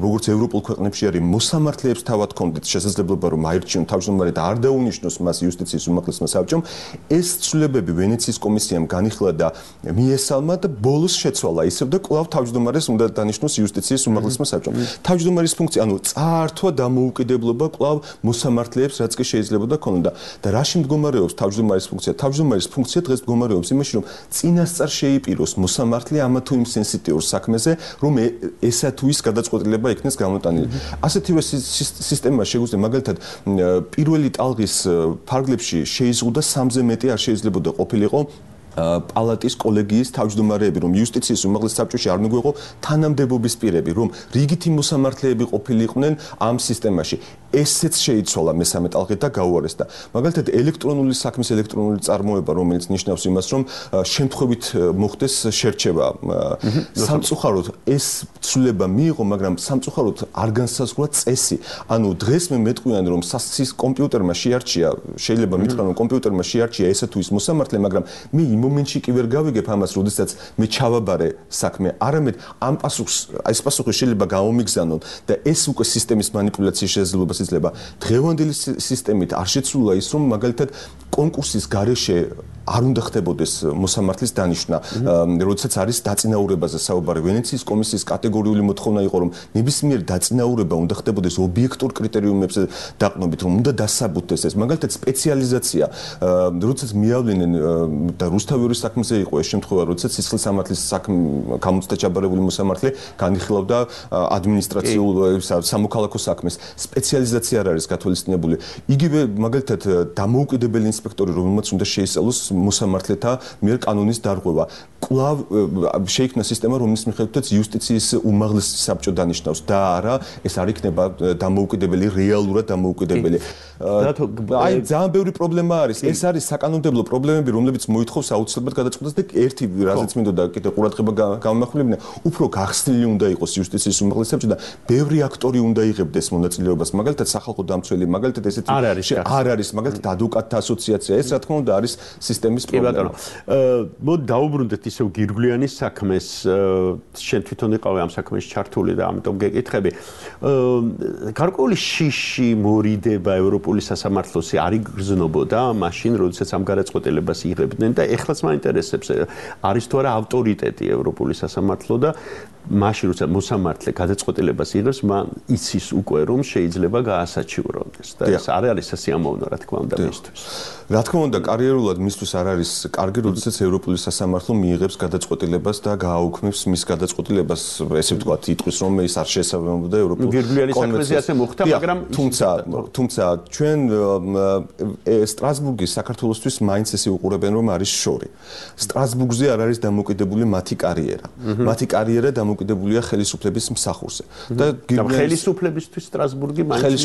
როგორც ევროპულ ქვეყნებში არის, მოსამართლეებს თავად ჰქონდეთ შესაძლებლობა, რომ აირჩიონ თავმჯდომარე და არ დაუნიშნოს მას იუსტიციის უმაღლესმა საბჭომ. ეს ცვლილებები ვენეციის კომისიამ განიხილა და მიესალმა და ბოლოს შეცვალა ისევ და კვლავ თავმჯდომარეს უნდა დანიშნოს იუსტიციის უმაღლესმა საბჭომ. თავმჯდომარის ფუნქცია, ანუ წაართვა დამოუკიდებლობა კვლავ მოსამართლეებს, რაც კი შეიძლებოდა ქონოდა. და რაში მდგომარეობს თავმჯდომარის ფუნქცია? თავმჯდომარის ფუნქცია დღეს მდგომარეობს იმაში, რომ წინასწარ შეიპიროს მოსამართლე ამა თუ იმ სენსიტიურ საქმეზე, რომ ესა თუ ის გადაწყვეტილება იქნეს გამოტანილი. ასეთივე სისტემა შეგვიძლია მაგალითად პირველი ტალღის ფარგლებში შეიზღუდა 3-ზე მეტი არ შეიძლებოდა ყოფილიყო პალატის კოლეგიის თავმჯდომარეები, რომ იუსტიციის უმაღლეს საბჭოში არ მიგვეყო თანამდებობის პირები, რომ რიგითი მოსამართლეები ყოფილიყვნენ ამ სისტემაში. ესეც შეიცვალა მესამე ტალღით და გაუარესდა. მაგალითად, ელექტრონული საქმის ელექტრონული წარმოება, რომელიც ნიშნავს იმას, რომ შემთხვევით მოხდეს შერჩევა. სამწუხაროდ ეს ცვლილება მიიღო, მაგრამ სამწუხაროდ არ განსაზღვრა წესი. ანუ დღეს მე მეტყვიან, რომ კომპიუტერმა შეარჩია, შეიძლება მითხრა, რომ კომპიუტერმა შეარჩია ესა თუ ის მოსამართლე, მაგრამ მე მომენტში კი ვერ გავიგებ ამას, როდესაც მე ჩავაბარე საქმე, არამედ ამ ეს პასუხი შეიძლება გამომიგზავნონ და ეს უკვე სისტემის манипуляციის შესაძლებლობას იძლევა. დღევანდელი სისტემით არ შეცვლა ის, რომ მაგალითად კონკურსის გარეშე არ უნდა ხდებოდეს მოსამართლის დანიშვნა, როდესაც არის დაწინაურებაზე საუბარი. ვენეციის კომისიის კატეგორიული მოთხოვნა იყო, რომ ნებისმიერ დაწინაურება უნდა ხდებოდეს ობიექტურ კრიტერიუმებზე დაყრდნობით, რომ უნდა დასაბუთდეს ეს. მაგალითად სპეციალიზაცია, როდესაც მიავლენენ და რუსთავის საქმეზე იყო ეს შემთხვევა, როდესაც სისხლის სამართლის გამოცდა ჩაბარებული მოსამართლე განიხილავდა ადმინისტრაციულ სამოქალაქო საქმეს. სპეციალიზაცია არ არის გათვალისწინებული. იგივე მაგალითად დამოუკიდებელი ინსპექტორი, რომელმაც უნდა შეისწავლოს მოსამართლეთა მიერ კანონის დარღვევა. კვლავ შეიქმნა სისტემა, რომლის მიხედვითაც იუსტიციის უმაღლესი საბჭო დანიშნავს და არა ეს არ იქნება დამოუკიდებელი, რეალურად დამოუკიდებელი. აი ძალიან ბევრი პრობლემა არის. ეს არის საკანონმდებლო პრობლემები, რომლებიც მოითხოვს აუცილებლად გადაწყვეტას და ერთი რაზეც მინდოდა კიდე ყურადღება გამომახვილებინა, უფრო გახსნილი უნდა იყოს იუსტიციის უმაღლესი საბჭო და ბევრი აქტორი უნდა იღებდეს მონაწილეობას. მაგალითად სახალხო დამცველი, მაგალითად ესეთი არ არის, მაგალითად ადვოკატთა ასოციაცია. ეს რა თქმა უნდა არის სისტემის პრობლემა. მოდი დაუბრუნდეთ ისევ გირგვლიანის საქმეს. შენ თვითონ იყავი ამ საქმეში ჩართული და ამიტომ გეკითხები. გარკვეული შიში მორიდება ევროპული სასამართლოსი არ იგრძნობოდა მაშინ, როდესაც ამ გადაწყვეტილებას იღებდნენ და ეხლაც მაინტერესებს არის თუ არა ავტორიტეტი ევროპული სასამართლო და მაშინ როცა მოსამართლე გადაწყვეტილებას იღებს, მან იცის უკვე რომ შეიძლება გაასაჩივრონდეს და ეს არ არის სასიამოვნო რა თქმა უნდა მისთვის. რა თქმა უნდა, კარიერულად მისთვის არ არის კარგი, როდესაც ევროპული სასამართლო მიიღებს გადაწყვეტილებას და გააუქმებს მის გადაწყვეტილებას, ესე ვთქვათ, იტყვის რომ ეს არ შეესაბამებოდა ევროპულ გირგვლიანის საქმეზე ასე მოხდა, მაგრამ თუმცა ჩვენ სტრასბურგის საქართველოსთვის მაინც ესე უყურებენ რომ არის შორი. სტრასბურგზე არ არის დამოკიდებული მათი კარიერა. მათი კარიერა დამოკიდებულია ხელისუფლების მსახურზე. და ხელისუფლებისთვის სტრასბურგი მაინც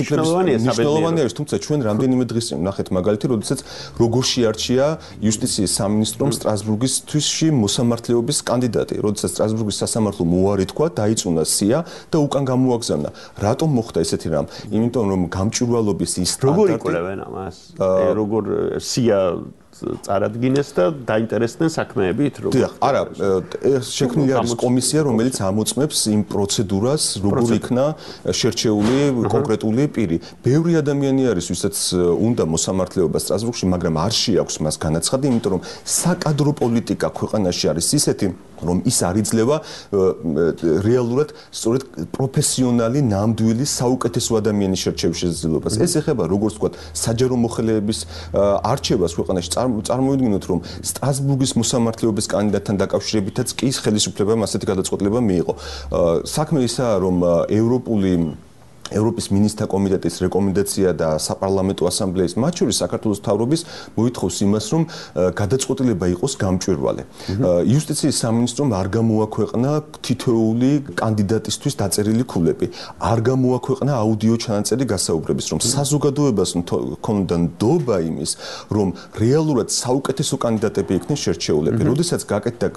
მნიშვნელოვანია, თუმცა ჩვენ რამდენიმე დღის წინ ვნახეთ მაგალითი, როდესაც როგორ შეარჩია იუსტიციის სამინისტრომ სტრასბურგისთვის მოსამართლეობის კანდიდატი, როდესაც სტრასბურგის სასამართლო მოუარი თქვა, დაიწუნა სია და უკან გამოაგზავნა. რატომ მოხდა ესეთი რამ? იმიტომ რომ გამჭვირვალობის ის როგორ იკვლევენ ამას? როგორ სია წარადგინეს და დაინტერესდნენ საქმეებით, როგორ? არა, შექმნილი არის კომისია, რომელიც ამოწმებს იმ პროცედურას, როგორ იქნა შერჩეული კონკრეტული პირი. ბევრი ადამიანი არის, ვისაც უნდა მოსამართლეობა სტრასბურგში, მაგრამ არ შეაქვს მას განაცხადი, იმიტომ რომ საკადრო პოლიტიკა ქვეყანაში არის ისეთი, რომ ის არ იძლევა რეალურად სწორედ პროფესიონალი, ნამდვილი, საუკეთესო ადამიანის შერჩევის შესაძლებლობას. ეს ეხება, როგორც ვთქვათ, საჯარო მოხელეების არჩევას ქვეყანაში. წარმოვიდგინოთ, რომ სტრასბურგის მოსამართლეობის კანდიდატთან დაკავშირებითაც კი ხელისუფლებამ ასეთი გადაწყვეტილება მიიღო. საქმე ისაა, რომ ევროპის მინისტრთა კომიტეტის რეკომენდაცია და საპარლამენტო ასამბლეის მათ შორის საქართველოს მთავრობის მოითხოვს იმას, რომ გადაწყვეტილება იყოს გამჭვირვალე. იუსტიციის სამინისტრომ არ გამოაქვეყნა თითოეული კანდიდატისთვის დაწერილი ქულები. არ გამოაქვეყნა აუდიო ჩანაწერი გასაუბრების, რომ საზოგადოებას ჰქონდა ნდობა იმის, რომ რეალურად საუკეთესო კანდიდატები იქნენ შერჩეულები. როდესაც გაკეთდა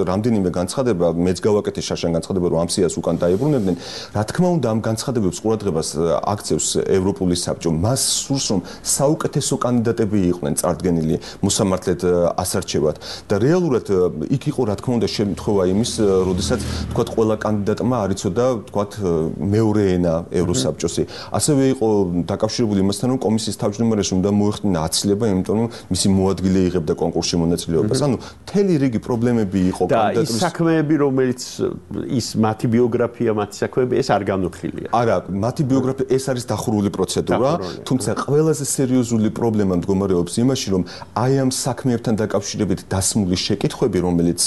რამდენიმე განცხადება, მეც გავაკეთე შაშან განცხადება, რომ ამ სიას უკან დაებრუნებდნენ, რა თქმა უნდა ამ განცხადებებს აქცევს ევროპული საბჭო. მას სურს რომ საუკეთესო კანდიდატები იყვნენ წარდგენილი მოსამართლედ ასარჩევად და რეალურად იქ იყო რა თქმა უნდა შემთხვევა იმის, როდესაც თქვათ ყველა კანდიდატმა არ იცოდა თქვათ მეორე ენა ევროსაბჭოსი. ასევე იყო დაკავშირებული იმასთან, რომ კომისიის თავმჯდომარეს უნდა მოეხდინა აცილება, იმიტომ რომ მისი მოადგილე იღებდა კონკურსში მონაწილეობას. ანუ მთელი რიგი პრობლემები იყო კანდიდატურის. და ის საქმეები, რომელიც ის მათი ბიოგრაფია, მათი საქმეები ეს არ განუხილია. არა, მათი ბიოგრაფია ეს არის დახურული პროცედურა, თუმცა ყველაზე სერიოზული პრობლემა მდგომარეობს იმაში, რომ აი ამ საქმეებთან დაკავშირებით დასმული შეკითხვები, რომელიც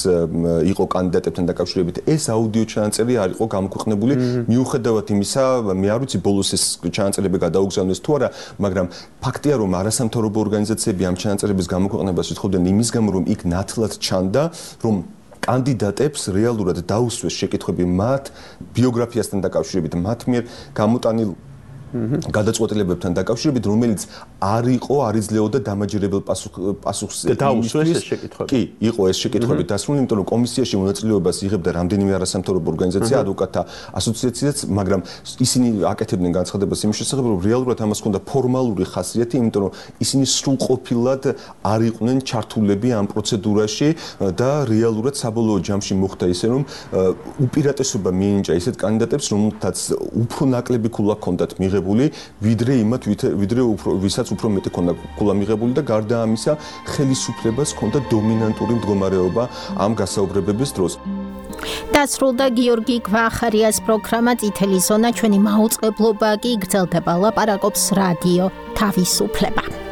იყო კანდიდატებთან დაკავშირებით, ეს აუდიო ჩანაწერი არ იყო გამოქვეყნებული, მიუხედავად იმისა, მე არ ვიცი ბოლოს ეს ჩანაწერები გადაუგზავნეს თუ არა, მაგრამ ფაქტია, რომ არასამთავრობო ორგანიზაციები ამ ჩანაწერების გამოქვეყნებას ითხოვდნენ იმის გამო, რომ იქ ნათლად ჩანდა, რომ კანდიდატებს რეალურად დაუსვეს შეკითხვები მათ ბიოგრაფიასთან დაკავშირებით, მათ მიერ გამოტანილ გადაწყვეტილებებთან დაკავშირებით, რომელიც არ იძლეოდა დამაჯერებელ პასუხს დაუსვეს ეს შეკითხვები. კი, იყო ეს შეკითხვები დასრულებული, იმიტომ რომ კომისიაში მონაწილეობას იღებდა რამდენიმე არასამთავრობო ორგანიზაცია, ადვოკატთა ასოციაციაც, მაგრამ ისინი აკეთებდნენ განცხადებას იმის შესახებ, რომ რეალურად ამას ჰქონდა ფორმალური ხასიათი, იმიტომ რომ ისინი სრულყოფილად არ იყვნენ ჩართულები ამ პროცედურაში და რეალურად საბოლოო ჯამში მოხდა ისე, რომ უპირატესობა მიენიჭა ისეთ კანდიდატებს, რომელთაც უფრო ნაკლები ქულა ჰქონდათ მიღებული, ვიდრე ვისაც უფრო მეტი ქონდა ქულა მიღებული და გარდა ამისა, ხელისუფლებას ჰქონდა დომინანტური მდგომარეობა ამ გასაუბრებების დროს. დასრულდა გიორგი გვახარიას პროგრამა წითელი ზონა, ჩვენი მაუწყებლობა კი გრძელდება. ლაპარაკობს რადიო თავისუფლება.